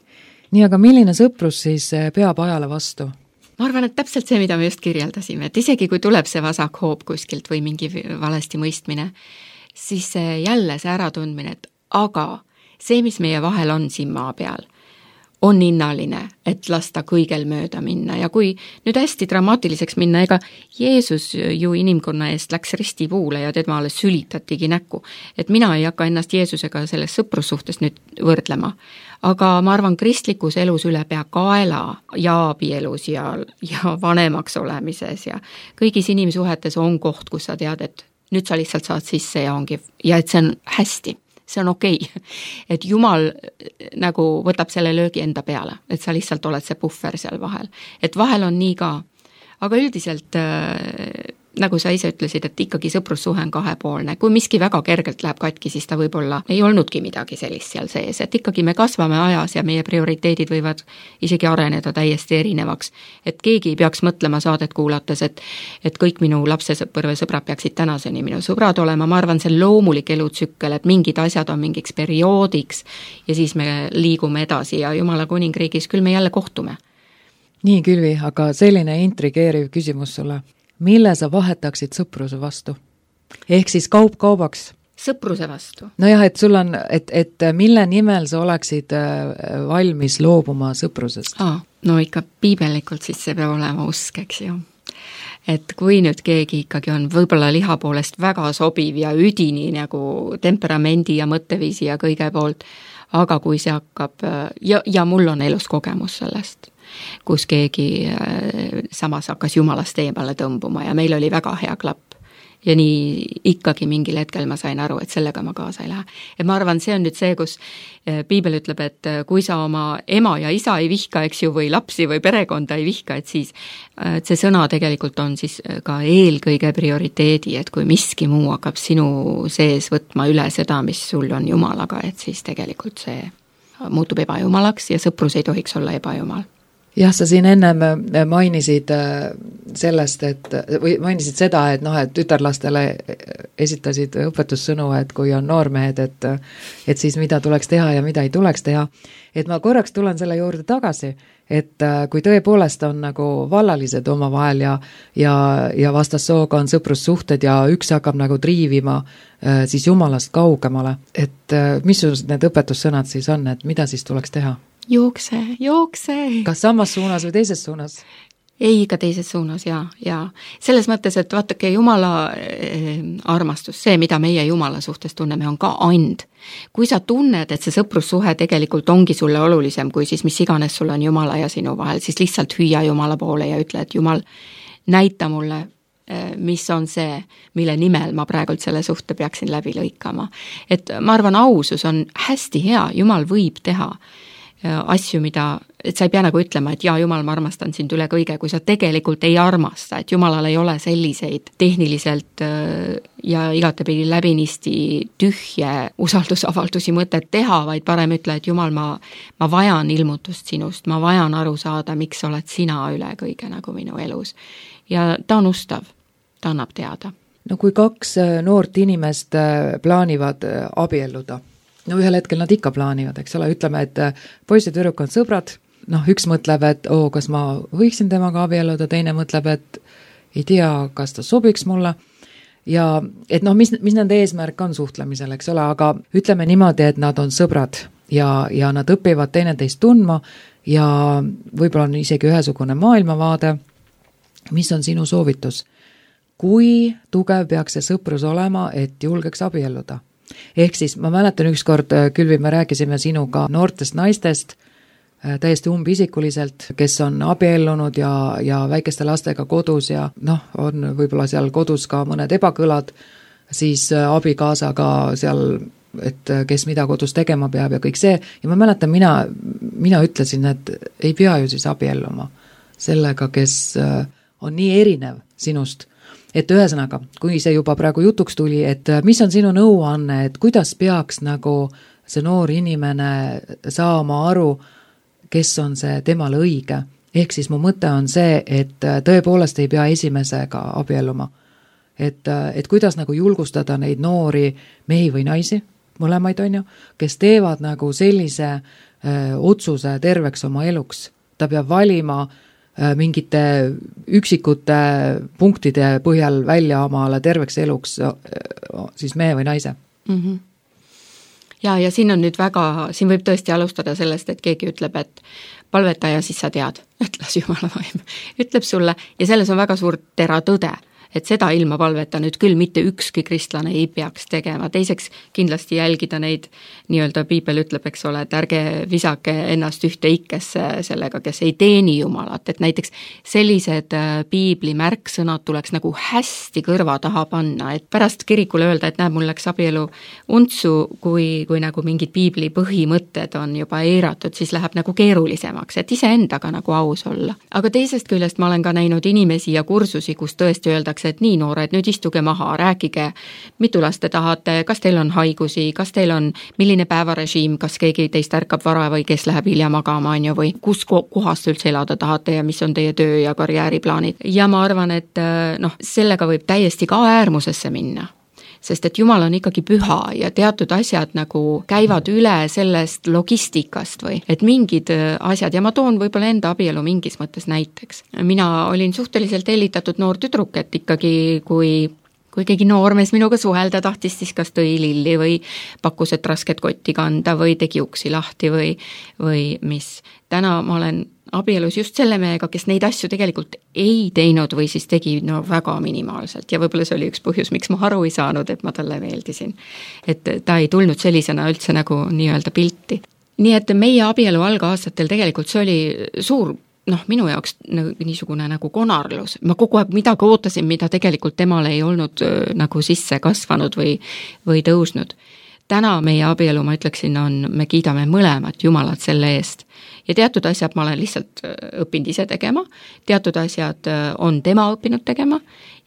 Nii, aga milline sõprus siis peab ajale vastu? Ma arvan, et täpselt see, mida me just kirjeldasime, et isegi kui tuleb see vasak hoob kuskilt või mingi valesti mõistmine, siis jälle see äratundmine, et aga see, mis meie vahel on siin maa peal, on hinnaline, et lasta kõigel mööda minna ja kui nüüd hästi dramaatiliseks minna, ega Jeesus ju inimkonna eest läks ristipuule ja temale sülitatigi näkku, et mina ei hakka ennast Jeesusega selles sõprussuhtes nüüd võrdlema, aga ma arvan, kristlikus elus üle pea kaela ja abielus ja vanemaks olemises ja kõigis inimsuhetes on koht, kus sa tead, et nüüd sa lihtsalt saad sisse ja et see on hästi. See on okei. Et Jumal nagu võtab selle löögi enda peale, et sa lihtsalt oled see puhver seal vahel. Et vahel on nii ka, aga üldiselt nagu sa ise ütlesid, et ikkagi sõprussuhe on kahepoolne. Kui miski väga kergelt läheb katki, siis ta võib-olla ei olnudki midagi sellist seal sees, et ikkagi me kasvame ajas ja meie prioriteedid võivad isegi areneda täiesti erinevaks. Et keegi ei peaks mõtlema saadet kuulates, et kõik minu lapsesõpõrve sõbrad peaksid tänaseni minu sõbrad olema. Ma arvan, see loomulik elutsükkel, et mingid asjad on mingiks perioodiks ja siis me liigume edasi ja Jumala kuningriigis küll me jälle kohtume. Nii, Külvi, aga selline intrigeeriv küsimus sulle. Mille sa vahetaksid sõpruse vastu? Ehk siis kaup kaubaks? Sõpruse vastu. No jah, et sul on, et mille nimel sa oleksid valmis loobuma sõprusest? No ikka piibellikult siis see peab olema usk, eks ju. Et kui nüüd keegi ikkagi on võib-olla liha poolest väga sobiv ja üdini nagu temperamendi ja mõtteviisi ja kõige poolt, aga kui see hakkab, ja mul on elus kogemus sellest, kus keegi samas hakkas Jumalast eemale tõmbuma ja meil oli väga hea klapp. Ja nii ikkagi mingil hetkel ma sain aru, et sellega ma kaasa ei lähe. Et ma arvan, see on nüüd see, kus piibel ütleb, et kui sa oma ema ja isa ei vihka, eks ju, või lapsi või perekonda ei vihka, et siis et see sõna tegelikult on siis ka eelkõige prioriteedi, et kui miski muu hakkab sinu sees võtma üle seda, mis sul on Jumalaga, et siis tegelikult see muutub ebajumalaks ja sõprus ei tohiks olla ebajumal. Jah, sa siin ennem mainisid sellest, või mainisid seda, et et tütarlastele esitasid õpetussõnu, et kui on noormehed, et siis mida tuleks teha ja mida ei tuleks teha. Et ma korraks tulen selle juurde tagasi, et kui tõepoolest on nagu vallalised oma vahel ja vastassooga on sõprussuhted ja üks hakkab nagu triivima siis Jumalast kaugemale, et missugused need õpetussõnad siis on, et mida siis tuleks teha? Jookse. Kas samas suunas või teises suunas? Ei, ikka teises suunas, ja. Selles mõttes, et vaatake, Jumala armastus, see, mida meie Jumala suhtes tunneme, on ka and. Kui sa tunned, et see sõprussuhe tegelikult ongi sulle olulisem, kui siis mis iganes sul on Jumala ja sinu vahel, siis lihtsalt hüüa Jumala poole ja ütle, et Jumal, näita mulle, mis on see, mille nimel ma praegult selle suhte peaksin läbi lõikama. Et ma arvan, ausus on hästi hea, Jumal võib teha asju, et sa ei pea nagu ütlema, et jaa, Jumal, ma armastan sind üle kõige, kui sa tegelikult ei armasta, et Jumalal ei ole selliseid tehniliselt ja igatepidi läbinisti tühje usaldusavaldusi mõtet teha, vaid parem ütle, et Jumal, ma vajan ilmutust sinust, ma vajan aru saada, miks oled sina üle kõige nagu minu elus. Ja ta on ustav, ta annab teada. No kui 2 noort inimest plaanivad abielluda, no ühel hetkel nad ikka plaanivad, eks ole, ütleme, et poiss ja tüdruk on sõbrad, noh, üks mõtleb, et kas ma võiksin temaga abielluda, teine mõtleb, et ei tea, kas ta sobiks mulle ja et noh, mis nende eesmärk on suhtlemisel, eks ole, aga ütleme niimoodi, et nad on sõbrad ja nad õpivad teineteist tundma ja võib-olla on isegi ühesugune maailmavaade. Mis on sinu soovitus? Kui tugev peaks see sõprus olema, et julgeks abielluda? Ehk siis ma mäletan ükskord, Külvi, me rääkisime sinuga noortest naistest täiesti umbisikuliselt, kes on abiellunud ja väikeste lastega kodus ja noh, on võib-olla seal kodus ka mõned ebakõlad, siis abikaasaga seal, et kes mida kodus tegema peab ja kõik see. Ja ma mäletan, mina ütlesin, et ei pea ju siis abielluma sellega, kes on nii erinev sinust. Et ühesõnaga, kui see juba praegu jutuks tuli, et mis on sinu nõuanne, et kuidas peaks nagu see noor inimene saama aru, kes on see temale õige. Ehk siis mu mõte on see, et tõepoolest ei pea esimesega abielluma. Et kuidas nagu julgustada neid noori mehi või naisi, mõlemaid on ju, kes teevad nagu sellise otsuse terveks oma eluks. Ta peab valima mingite üksikute punktide põhjal välja omale terveks eluks siis mehe või naise. Mm-hmm. Ja siin on nüüd siin võib tõesti alustada sellest, et keegi ütleb, et palveta ja siis sa tead, ütles Jumala vaim, ütleb sulle ja selles on väga suur teratõde, et seda ilma palveta nüüd küll mitte ükski kristlane ei peaks tegema. Teiseks kindlasti jälgida neid, nii-öelda Piibel ütleb, eks ole, et ärge visake ennast ühte ikkesse sellega, kes ei teeni Jumalat, et näiteks sellised Piibli märksõnad tuleks nagu hästi kõrva taha panna, et pärast kirikule öelda, et näeb, mul läks abielu untsu, kui nagu mingid Piibli põhimõtted on juba eiratud, siis läheb nagu keerulisemaks, et iseendaga nagu aus olla. Aga teisest küljest ma olen ka näinud inimesi ja kursusi, kus tõesti öeldakse, et nii noored, nüüd istuge maha, rääkige, mitu last te tahate, kas teil on haigusi, kas teil on milline päevarežiim, kas keegi teist ärkab vara või kes läheb hilja magama, või kus kohast üldse elada tahate ja mis on teie töö ja karjääriplaanid. Ja ma arvan, et sellega võib täiesti ka äärmusesse minna. Sest et Jumal on ikkagi püha ja teatud asjad nagu käivad üle sellest logistikast või et mingid asjad ja ma toon võib-olla enda abielu mingis mõttes näiteks. Mina olin suhteliselt hellitatud noor tüdruk, et ikkagi kui keegi noormees minuga suhelda tahtis, siis kas tõi lilli või pakkus, et rasket kotti kanda või tegi uksi lahti või mis. Täna ma olen abielus just selle mehega, kes neid asju tegelikult ei teinud või siis tegi väga minimaalselt ja võib-olla see oli üks põhjus, miks ma aru ei saanud, et ma talle meeldisin. Et ta ei tulnud sellisena üldse nagu nii-öelda pilti. Nii et meie abielu algaastatel tegelikult see oli suur, minu jaoks niisugune nagu konarlus. Ma kogu aeg midagi ootasin, mida tegelikult temale ei olnud nagu sisse kasvanud või tõusnud. Täna meie abielu, ma ütleksin, me kiidame mõlemat Jumalat selle eest. Ja teatud asjad ma olen lihtsalt õppinud ise tegema, teatud asjad on tema õppinud tegema,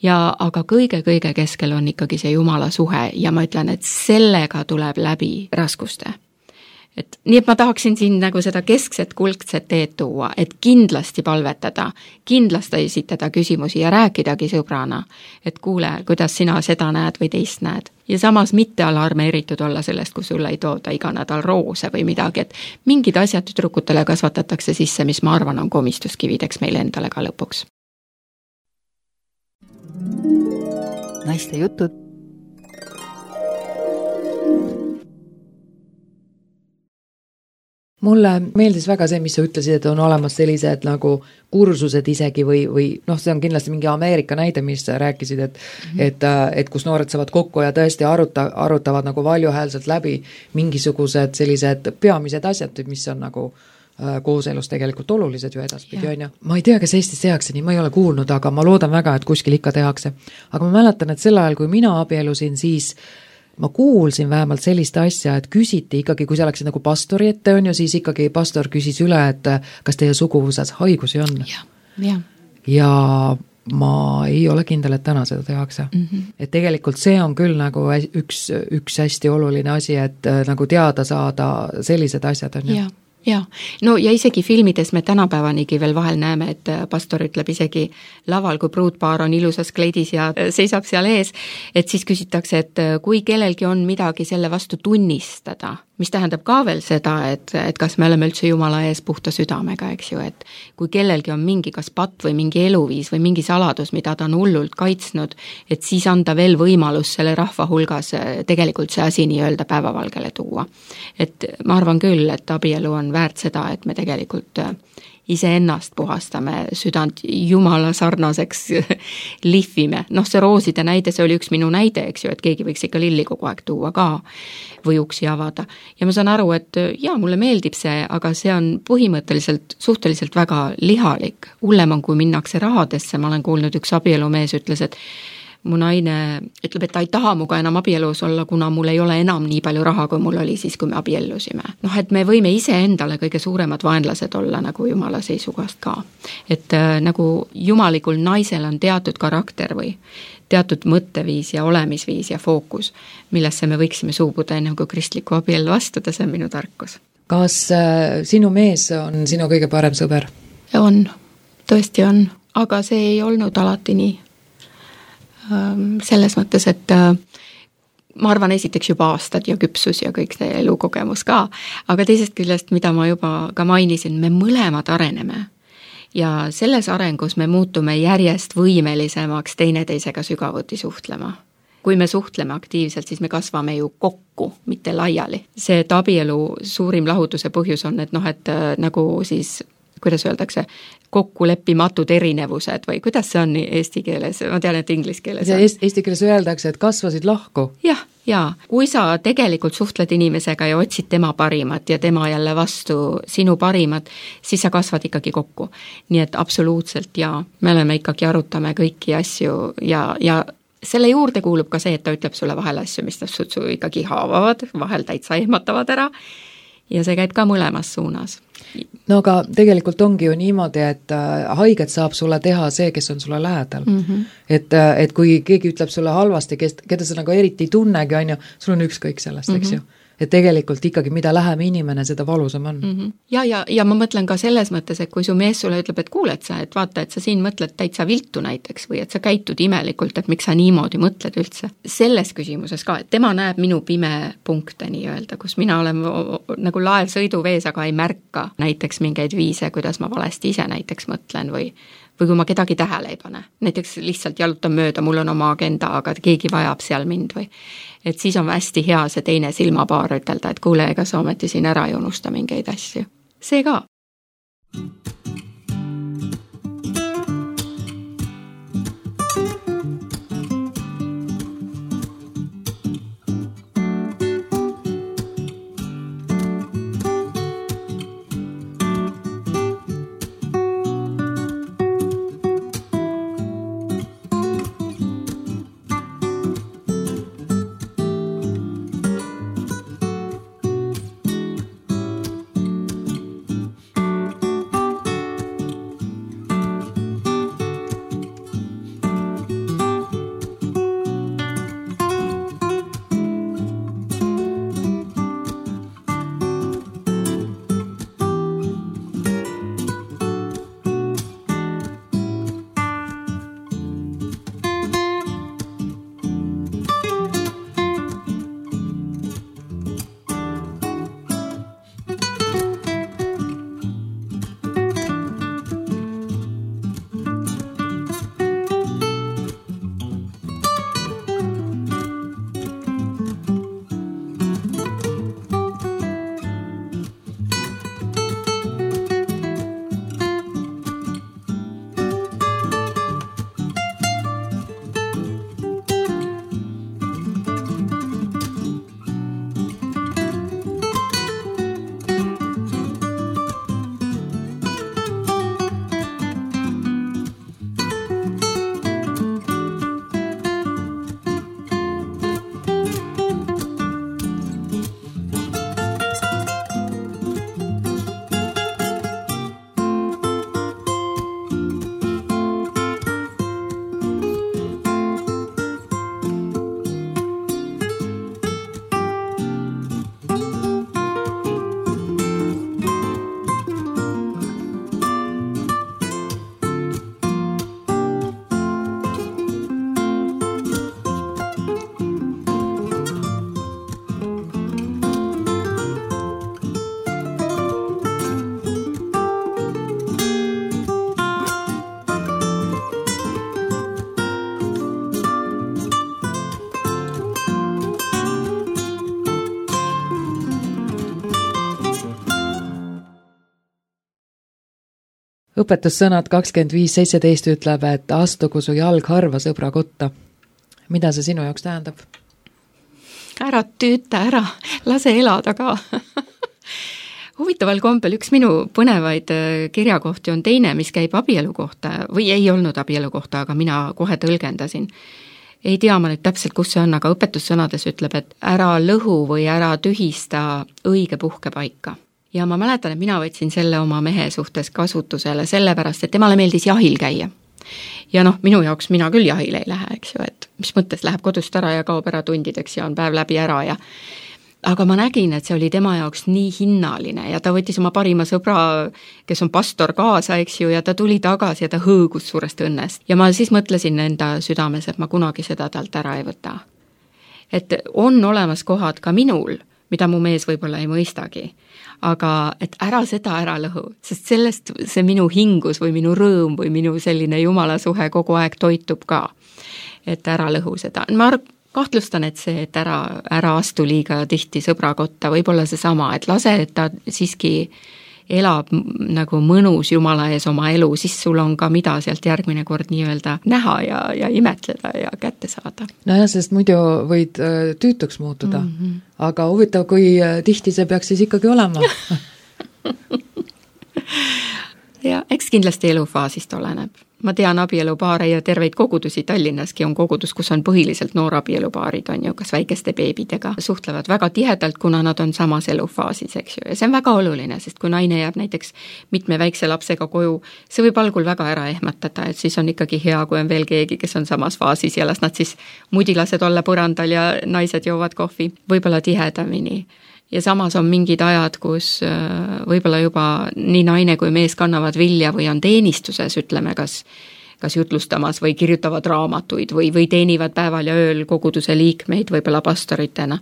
aga kõige keskel on ikkagi see Jumala suhe ja ma ütlen, et sellega tuleb läbi raskuste. Nii et ma tahaksin siin nagu seda keskset kuldset teed tuua, et kindlasti palvetada, kindlasti esitada küsimusi ja rääkidagi sõbrana, et kuule, kuidas sina seda näed või teist näed. Ja samas mitte alarmeeritud olla sellest, kui sulle ei tooda iga nädal roose või midagi, et mingid asjad tüdrukutele kasvatatakse sisse, mis ma arvan on komistuskivideks meile endale ka lõpuks. Naiste jutud. Mulle meeldis väga see, mis sa ütlesid, et on olemas sellised nagu kursused isegi või see on kindlasti mingi Ameerika näide, mis rääkisid, et kus noored saavad kokku ja tõesti arutavad nagu valjuhäälselt läbi mingisugused sellised peamised asjad, mis on nagu kooselus tegelikult olulised ju edaspidi, on ju. Ma ei tea, kas Eestis tehakse nii, ma ei ole kuulnud, aga ma loodan väga, et kuskil ikka tehakse. Aga ma mäletan, et sel ajal, kui mina abielusin, siis ma kuulsin vähemalt sellist asja, et küsiti ikkagi, kui sa läksid nagu pastori ette on ju, siis ikkagi pastor küsis üle, et kas teie suguvõsas haigusi on. Ja ma ei ole kindel, et täna seda tehakse. Et tegelikult see on küll nagu üks hästi oluline asi, et nagu teada saada sellised asjad on ju. Ja, no ja isegi filmides me tänapäevanigi veel vahel näeme, et pastor ütleb isegi laval, kui pruutpaar on ilusas kleidis ja seisab seal ees, et siis küsitakse, et kui kellelgi on midagi selle vastu tunnistada, mis tähendab ka veel seda, et kas me oleme üldse Jumala ees puhta südamega, eks ju, et kui kellelgi on mingi kas patt või mingi eluviis või mingi saladus, mida ta on hullult kaitsnud, et siis anda veel võimalus selle rahva hulgas tegelikult see asi nii-öelda päevavalgele tuua. Et ma arvan küll, et abielu on väärt seda, et me tegelikult iseennast puhastame, südant Jumala sarnaseks lihvime. Noh, see rooside näide, see oli üks minu näide, eks ju, et keegi võiks ikka lilli kogu aeg tuua ka või uksi avada. Ja ma saan aru, et jaa, mulle meeldib see, aga see on põhimõtteliselt suhteliselt väga lihalik. Hullem on, kui minnakse rahadesse, ma olen kuulnud, üks abielumees ütles, et mu naine ütleb, et ta ei taha muga enam abielus olla, kuna mul ei ole enam nii palju raha, kui mul oli siis, kui me abiellusime. Noh, et me võime ise endale kõige suuremad vaenlased olla nagu Jumala seisukohast ka. Et nagu jumalikul naisel on teatud karakter või teatud mõtteviis ja olemisviis ja fookus, millesse me võiksime suubuda enne kui kristliku abielu astuda, see on minu tarkus. Kas sinu mees on sinu kõige parem sõber? On, tõesti on, aga see ei olnud alati nii. Selles mõttes, et ma arvan esiteks juba aastad ja küpsus ja kõik see elukogemus ka, aga teisest küljest, mida ma juba ka mainisin, me mõlemad areneme ja selles arengus me muutume järjest võimelisemaks teineteisega sügavuti suhtlema. Kui me suhtleme aktiivselt, siis me kasvame ju kokku, mitte laiali. See, et abielu suurim lahutuse põhjus on, et noh, et nagu siis kuidas öeldakse, kokkuleppimatud erinevused või kuidas see on eesti keeles? Ma tean, et inglise keeles on. Eesti keeles öeldakse, et kasvasid lahku. Ja. Kui sa tegelikult suhtled inimesega ja otsid tema parimat ja tema jälle vastu sinu parimat, siis sa kasvad ikkagi kokku. Nii et absoluutselt ja me oleme ikkagi arutame kõiki asju ja selle juurde kuulub ka see, et ta ütleb sulle vahel asju, mis su ikkagi haavavad, vahel täitsa ehmatavad ära ja see käib ka mõlemas suunas. No aga tegelikult ongi ju niimoodi, et haiget saab sulle teha see, kes on sulle lähedal. Et kui keegi ütleb sulle halvasti, keda sa nagu eriti ei tunnegi, on ju, sul on ükskõik sellest, eks ju. Et tegelikult ikkagi, mida lähem inimene, seda valusam on. Ja ma mõtlen ka selles mõttes, et kui su mees sulle ütleb, et kuule, et vaata, et sa siin mõtled täitsa viltu näiteks või et sa käitud imelikult, et miks sa niimoodi mõtled üldse. Selles küsimuses ka, et tema näeb minu pime punkte nii-öelda, kus mina olen nagu laev sõiduvees, aga ei märka näiteks mingeid viise, kuidas ma valesti ise näiteks mõtlen või kui ma kedagi tähele ei pane. Näiteks lihtsalt jalutan mööda, mul on oma agenda, aga keegi vajab seal mind või. Et siis on hästi hea see teine silmapaar ütelda, et kuule, ega sa ometi siin ära ei unusta mingeid asju. See ka. õpetussõnad 25:17 ütleb, et astugu su jalg harva sõbra kotta. Mida see sinu jaoks tähendab? Ära tüüta ära, lase elada ka. Huvitaval kombel üks minu põnevaid kirjakohti on teine, mis käib abielu kohta või ei olnud abielu kohta, aga mina kohe tõlgendasin. Ei tea ma nüüd täpselt, kus see on, aga õpetussõnades ütleb, et ära lõhu või ära tühista õige puhkepaika. Ja ma mäletan, et mina võtsin selle oma mehe suhtes kasutusele sellepärast, et temale meeldis jahil käia. Ja noh, minu jaoks mina küll jahile ei lähe, eks ju, et mis mõttes läheb kodust ära ja kaob ära tundideks ja on päev läbi ära ja aga ma nägin, et see oli tema jaoks nii hinnaline ja ta võttis oma parima sõbra, kes on pastor kaasa, eks ju, ja ta tuli tagasi ja ta hõõgus suurest õnnest. Ja ma siis mõtlesin enda südames, et ma kunagi seda talt ära ei võta. Et on olemas kohad ka minul, mida mu mees võib-olla ei mõistagi, aga et ära seda ära lõhu, sest sellest see minu hingus või minu rõõm või minu selline jumala suhe kogu aeg toitub ka, et ära lõhu seda. Ma kahtlustan, et see, et ära astu liiga tihti sõbra kotta, võib-olla see sama, et lase, et ta siiski elab nagu mõnus Jumala ees oma elu, siis sul on ka mida sealt järgmine kord nii-öelda näha ja imetleda ja kätte saada. Nojah, sest muidu võid tüütuks muutuda, aga huvitav, kui tihti see peaks siis ikkagi olema. Ja eks kindlasti elufaasist oleneb. Ma tean abielupaare ja terveid kogudusi Tallinnaski on kogudus, kus on põhiliselt noorabieluparid, on ju, kas väikeste beebidega, suhtlevad väga tihedalt, kuna nad on samas elufaasis, eks ju, ja see on väga oluline, sest kui naine jääb näiteks mitme väikse lapsega koju, see võib algul väga ära ehmatada, et siis on ikkagi hea, kui on veel keegi, kes on samas faasis ja las nad siis mudilased olla põrandal ja naised joovad kohvi, võib-olla tihedamini. Ja samas on mingid ajad, kus võib-olla juba nii naine kui mees kannavad vilja või on teenistuses, ütleme, kas jutlustamas või kirjutavad raamatuid või teenivad päeval ja ööl koguduse liikmeid võib-olla pastoritena.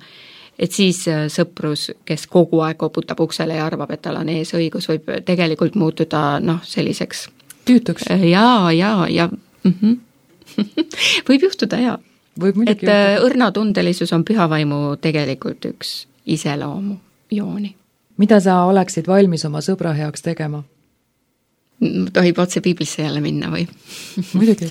Et siis sõprus, kes kogu aeg koputab uksele ja arvab, et tal on ees õigus, võib tegelikult muutuda selliseks tüütuks. Ja. Võib juhtuda, jaa. Et õrnatundelisus on pühavaimu tegelikult üks iseloomu jooni. Mida sa oleksid valmis oma sõbra heaks tegema? Tohib otse piiblisse jälle minna või? Muidugi.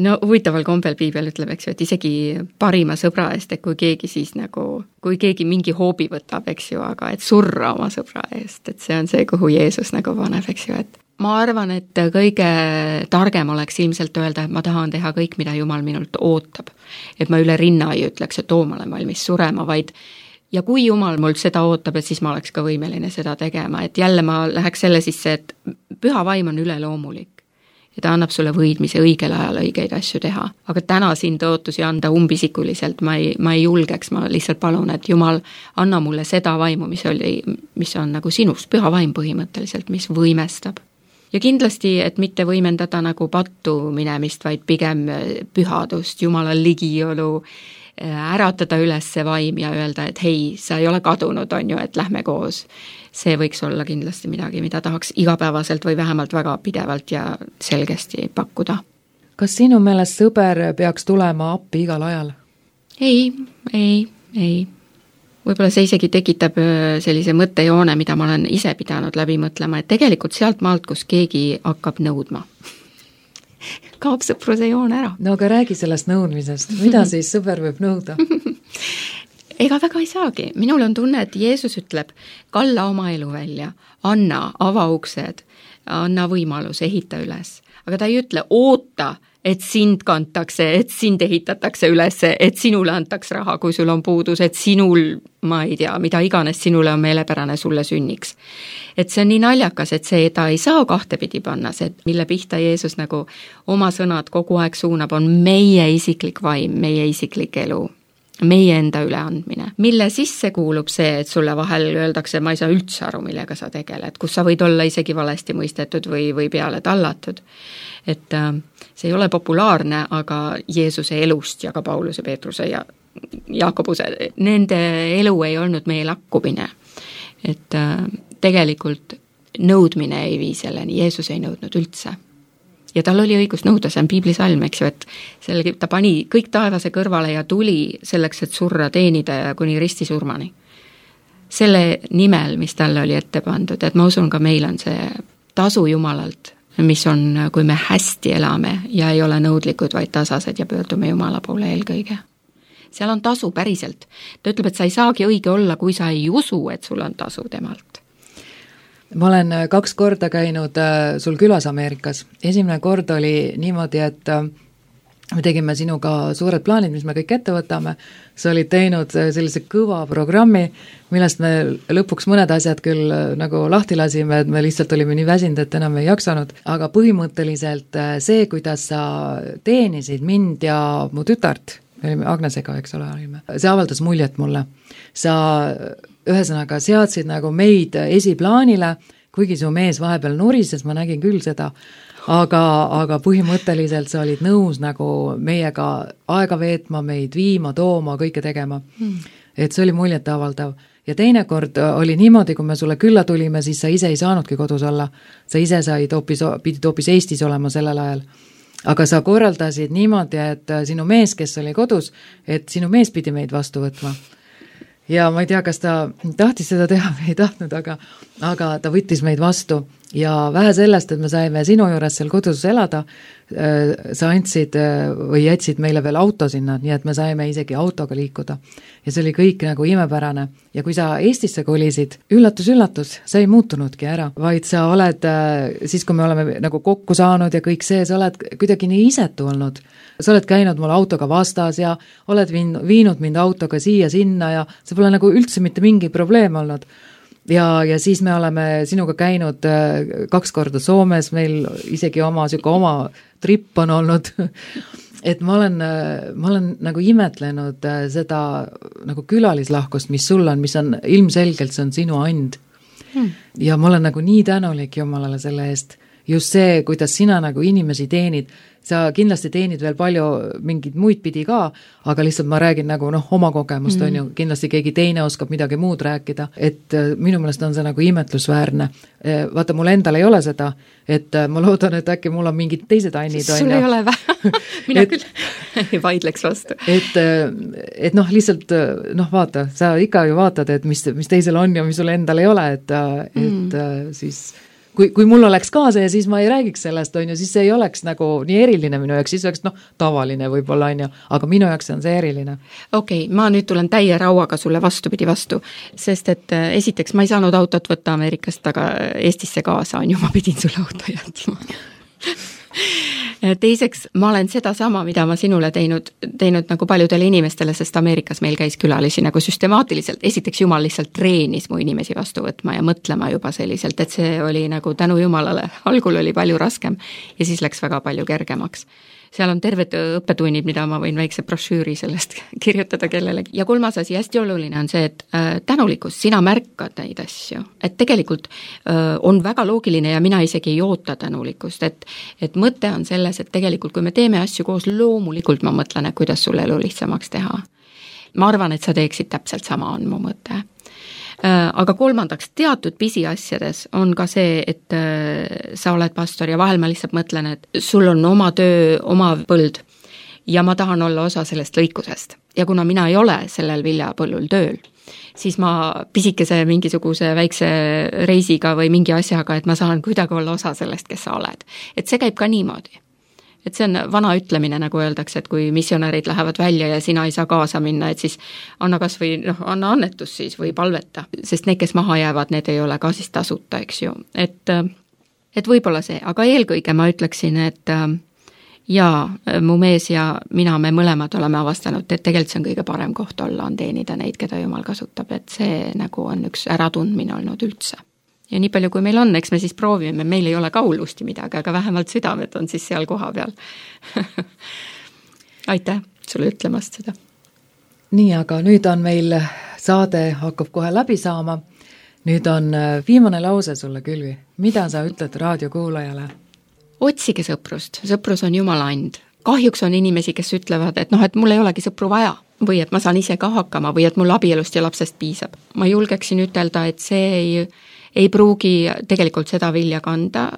No huvitaval kombel piibel ütleb, eks ju, et isegi parima sõbra eest, et kui keegi mingi hoobi võtab, eks ju, aga et surra oma sõbra eest, et see on see, kuhu Jeesus nagu paneb, eks ju, et ma arvan, et kõige targem oleks ilmselt öelda, et ma tahan teha kõik, mida Jumal minult ootab. Et ma üle rinna ei ütleks, et ma olen valmis surema, vaid ja kui Jumal mult seda ootab, et siis ma oleks ka võimeline seda tegema, et jälle ma läheks selle sisse, et püha vaim on üleloomulik ja ta annab sulle võidmise õigel ajal õigeid asju teha. Aga täna siin tõotusi anda umbisikuliselt ma ei julgeks, ma lihtsalt palun, et Jumal anna mulle seda vaimu, mis on nagu sinust, püha vaim põhimõtteliselt, mis võimestab. Ja kindlasti, et mitte võimendada nagu pattu minemist, vaid pigem pühadust, Jumala ligiolu, äratada üles see vaim ja öelda, et hei, sa ei ole kadunud, on ju, et lähme koos. See võiks olla kindlasti midagi, mida tahaks igapäevaselt või vähemalt väga pidevalt ja selgesti pakkuda. Kas sinu meelest sõber peaks tulema appi igal ajal? Ei. Võib-olla see isegi tekitab sellise mõttejoone, mida ma olen ise pidanud läbi mõtlema, et tegelikult sealt maalt, kus keegi hakkab nõudma, kaob sõpruse joon ära. No aga räägi sellest nõudmisest, mida siis sõber võib nõuda? Ega väga ei saagi. Minul on tunne, et Jeesus ütleb, kalla oma elu välja, anna, ava uksed, anna võimalus, ehita üles. Aga ta ei ütle, oota, et sind kantakse, et sind ehitatakse üles, et sinule antaks raha, kui sul on puudus, et sinul, ma ei tea, mida iganes sinule on meelepärane, sulle sünniks. Et see on nii naljakas, et see ta ei saa kahtepidi panna, see, mille pihta Jeesus nagu oma sõnad kogu aeg suunab, on meie isiklik vaim, meie isiklik elu, meie enda üleandmine. Mille sisse kuulub see, et sulle vahel öeldakse, ma ei saa üldse aru, millega sa tegeled, kus sa võid olla isegi valesti mõistetud või peale tallatud. Et see ei ole populaarne, aga Jeesuse elust ja ka Pauluse, Peetruse ja Jaakobuse, nende elu ei olnud meie lakkumine. Et tegelikult nõudmine ei vii selleni, Jeesus ei nõudnud üldse. Ja tal oli õigus nõuda, see on piiblisalm, eks ju, et ta pani kõik taevase kõrvale ja tuli selleks, et surra teenida ja kuni ristisurmani. Selle nimel, mis talle oli ette pandud, et ma usun ka meil on see tasu Jumalalt mis on, kui me hästi elame ja ei ole nõudlikud, vaid tasased ja pöördume Jumala poole eelkõige. Seal on tasu päriselt. Ta ütleb, et sa ei saagi õige olla, kui sa ei usu, et sul on tasu temalt. Ma olen 2 korda käinud sul külas Ameerikas. Esimene kord oli niimoodi, et me tegime sinuga suured plaanid, mis me kõik ette võtame. Sa olid teinud sellise kõva programmi, millest me lõpuks mõned asjad küll nagu lahti lasime, et me lihtsalt olime nii väsinud, et enam ei jaksanud. Aga põhimõtteliselt see, kuidas sa teenisid mind ja mu tütart, olime Agnesega, eks ole, see avaldas muljet mulle. Sa ühesõnaga seadsid nagu meid esiplaanile, kuigi su mees vahepeal nurises, ma nägin küll seda, aga põhimõtteliselt sa olid nõus nagu meiega aega veetma, meid viima, tooma, kõike tegema. Et see oli muljet avaldav. Ja teine kord oli niimoodi, kui me sulle külla tulime, siis sa ise ei saanudki kodus olla. Sa ise pidid hoopis Eestis olema sellel ajal. Aga sa korraldasid niimoodi, et sinu mees, kes oli kodus, et sinu mees pidi meid vastu võtma. Ja ma ei tea, kas ta tahtis seda teha või ei tahtnud, aga ta võttis meid vastu. Ja vähe sellest, et me saime sinu juures seal kodus elada, sa andsid või jätsid meile veel auto sinna, nii et me saime isegi autoga liikuda. Ja see oli kõik nagu imepärane. Ja kui sa Eestisse kolisid, üllatus, sa ei muutunudki ära, vaid sa oled, siis kui me oleme nagu kokku saanud ja kõik see, sa oled kuidagi nii isetu olnud. Sa oled käinud mul autoga vastas ja oled viinud mind autoga siia-sinna ja see pole nagu üldse mitte mingi probleem olnud. Ja siis me oleme sinuga käinud 2 korda Soomes, meil isegi oma trip on olnud, et ma olen nagu imetlenud seda nagu külalislahkust, mis sul on, mis on ilmselgelt, see on sinu and. Ja ma olen nagu nii tänulik Jumalale selle eest. Just see, kuidas sina nagu inimesi teenid, sa kindlasti teenid veel palju mingid muid pidi ka, aga lihtsalt ma räägin nagu oma kogemust, on ju, kindlasti keegi teine oskab midagi muud rääkida, et minu meelest on see nagu imetlusväärne. Vaata, mul endal ei ole seda, et ma loodan, et äkki mul on mingid teised annid. Sul ei ole vähe, mina küll vaidleks vastu. Et lihtsalt, vaata, sa ikka ju vaatad, et mis teisel on ja mis sul endal ei ole, et siis kui mul oleks ka see, siis ma ei räägiks sellest, on ju, siis see ei oleks nagu nii eriline minu jaoks, siis oleks tavaline võib-olla, on ju, aga minu jaoks on see eriline. Okei, ma nüüd tulen täie rauaga sulle vastupidi vastu, sest et esiteks ma ei saanud autot võtta Ameerikast, aga Eestisse kaasa on ju, ma pidin sulle auto jätma. Teiseks, ma olen seda sama, mida ma sinule teinud nagu paljudele inimestele, sest Ameerikas meil käis külalisi nagu süstemaatiliselt. Esiteks Jumal lihtsalt treenis mu inimesi vastu võtma ja mõtlema juba selliselt, et see oli nagu tänu Jumalale. Algul oli palju raskem ja siis läks väga palju kergemaks. Seal on terved õppetunnid, mida ma võin väikse brošüüri sellest kirjutada kellelegi. Ja 3. asi, hästi oluline on see, et tänulikkus, sina märkad neid asju. Et tegelikult on väga loogiline ja mina isegi ei oota tänulikkust. Et mõte on selles, et tegelikult kui me teeme asju koos, loomulikult ma mõtlen, et kuidas sul elu lihtsamaks teha. Ma arvan, et sa teeksid täpselt sama, on mu mõte. Aga 3. teatud pisiasjades on ka see, et sa oled pastor ja vahel ma lihtsalt mõtlen, et sul on oma töö, oma põld ja ma tahan olla osa sellest lõikusest. Ja kuna mina ei ole sellel viljapõllul tööl, siis ma pisikese mingisuguse väikse reisiga või mingi asjaga, et ma saan kuidagi olla osa sellest, kes sa oled. Et see käib ka niimoodi. Et see on vana ütlemine, nagu öeldakse, et kui missionärid lähevad välja ja sina ei saa kaasa minna, et siis anna kas või anna annetus siis või palveta, sest need, kes maha jäävad, need ei ole ka siis tasuta, eks ju. Et võib-olla see, aga eelkõige ma ütleksin, et mu mees ja mina, me mõlemad oleme avastanud, et tegelikult see on kõige parem koht olla, on teenida neid, keda Jumal kasutab, et see nagu on üks äratundmine olnud üldse. Ja nii palju, kui meil on, eks me siis proovime, meil ei ole ka hullusti midagi, aga vähemalt südamed on siis seal koha peal. Aitäh sulle ütlemast seda. Nii, aga nüüd on meil saade hakkab kohe läbi saama. Nüüd on viimane lause sulle, Külvi. Mida sa ütled raadiokuulajale? Otsige sõprust. Sõprus on Jumala and. Kahjuks on inimesi, kes ütlevad, et et mul ei olegi sõpru vaja või et ma saan ise ka hakkama või et mul abielust ja lapsest piisab. Ma julgeksin ütelda, et see ei pruugi tegelikult seda vilja kanda,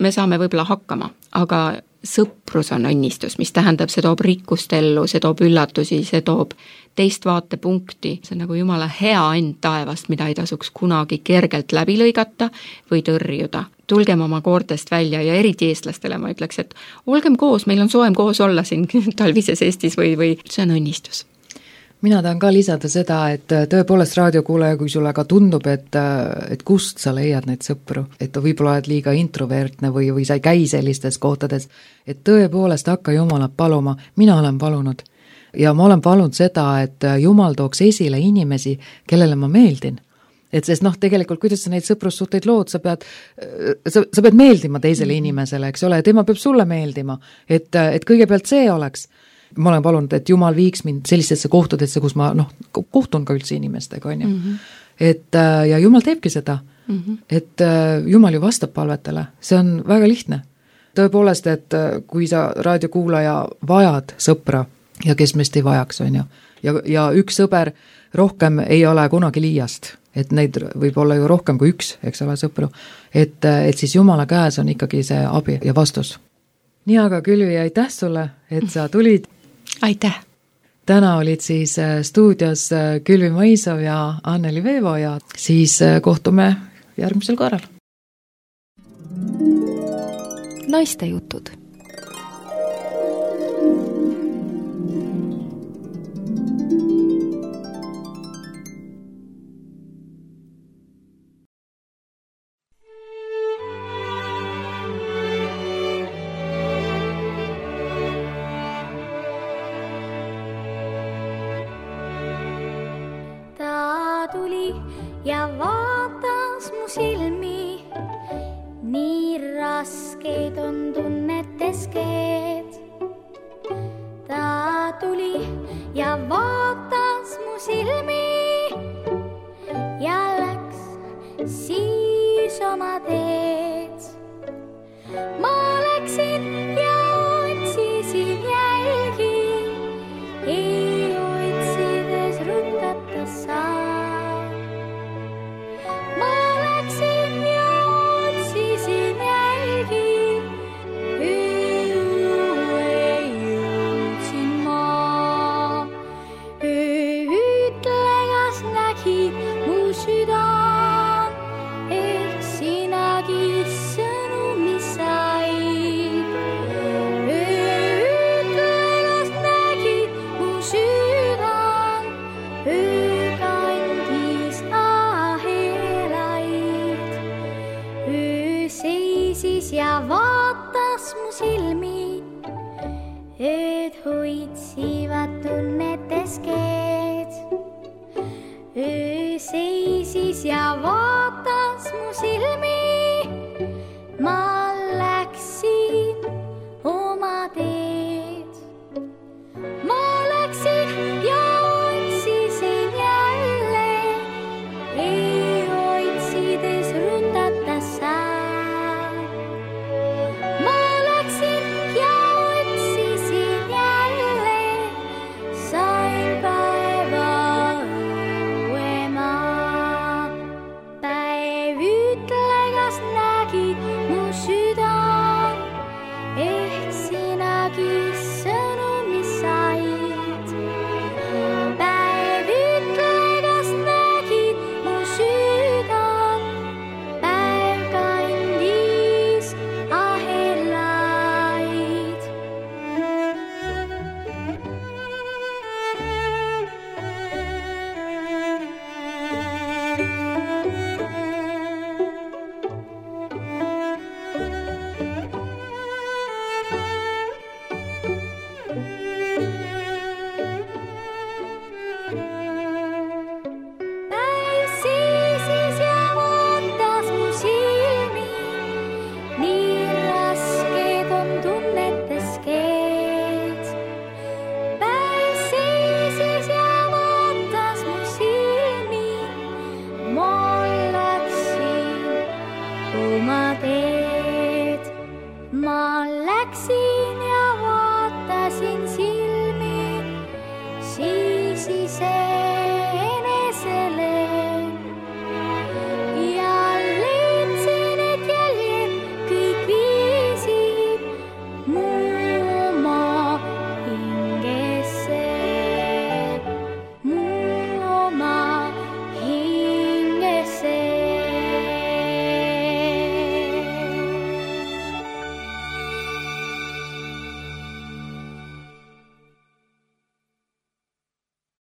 me saame võib-olla hakkama, aga sõprus on õnnistus, mis tähendab, see toob rikkust ellu, see toob üllatusi, see toob teist vaatepunkti, see on nagu Jumala hea end taevast, mida ei tasuks kunagi kergelt läbi lõigata või tõrjuda. tulgem oma koortest välja ja eriti eestlastele ma ütleks, et olgem koos, meil on soojem koos olla siin talvises Eestis või see on õnnistus. Mina tahan ka lisada seda, et tõepoolest raadiokuulaja, kui sulle ka tundub, et kust sa leiad neid sõpru, et võib-olla oled liiga introvertne või sa ei käi sellistes kohtades, et tõepoolest hakka Jumalat paluma, mina olen palunud. Ja ma olen palunud seda, et Jumal tooks esile inimesi, kellele ma meeldin. Et sest tegelikult, kuidas sa neid sõprussuhteid lood, sa pead meeldima teisele inimesele, eks ole, tema peab sulle meeldima, et kõigepealt see oleks. Ma olen palunud, et Jumal viiks mind sellistesse kohtadesse, kus ma kohtun ka üldse inimestega, on ju. Et ja Jumal teebki seda, et Jumal ju vastab palvetele, see on väga lihtne. Tõepoolest, et kui sa raadiokuulaja vajad sõpra ja kes meist ei vajaks, on ju, ja üks sõber rohkem ei ole kunagi liiast, et neid võib olla ju rohkem kui üks, eks ole, sõpru, et siis Jumala käes on ikkagi see abi ja vastus. Nii, aga Külvi, aitäh sulle, et sa tulid. Aitäh! Täna olid siis stuudios Külvi Mõisov ja Anneli Veevo ja siis kohtume järgmisel korral. Naiste jutud. Ja vaatas mu silmi, nii raskeid on tunnetes keed. Ta tuli ja vaatas mu silmi ja läks siis oma teed. Ma läksin ja otsisin jälgi, ei otsides rutata saa. Ja vaatas mu silmi, ööd hoitsivad tunnetes keed. Öö seisis ja vaatas mu silmi.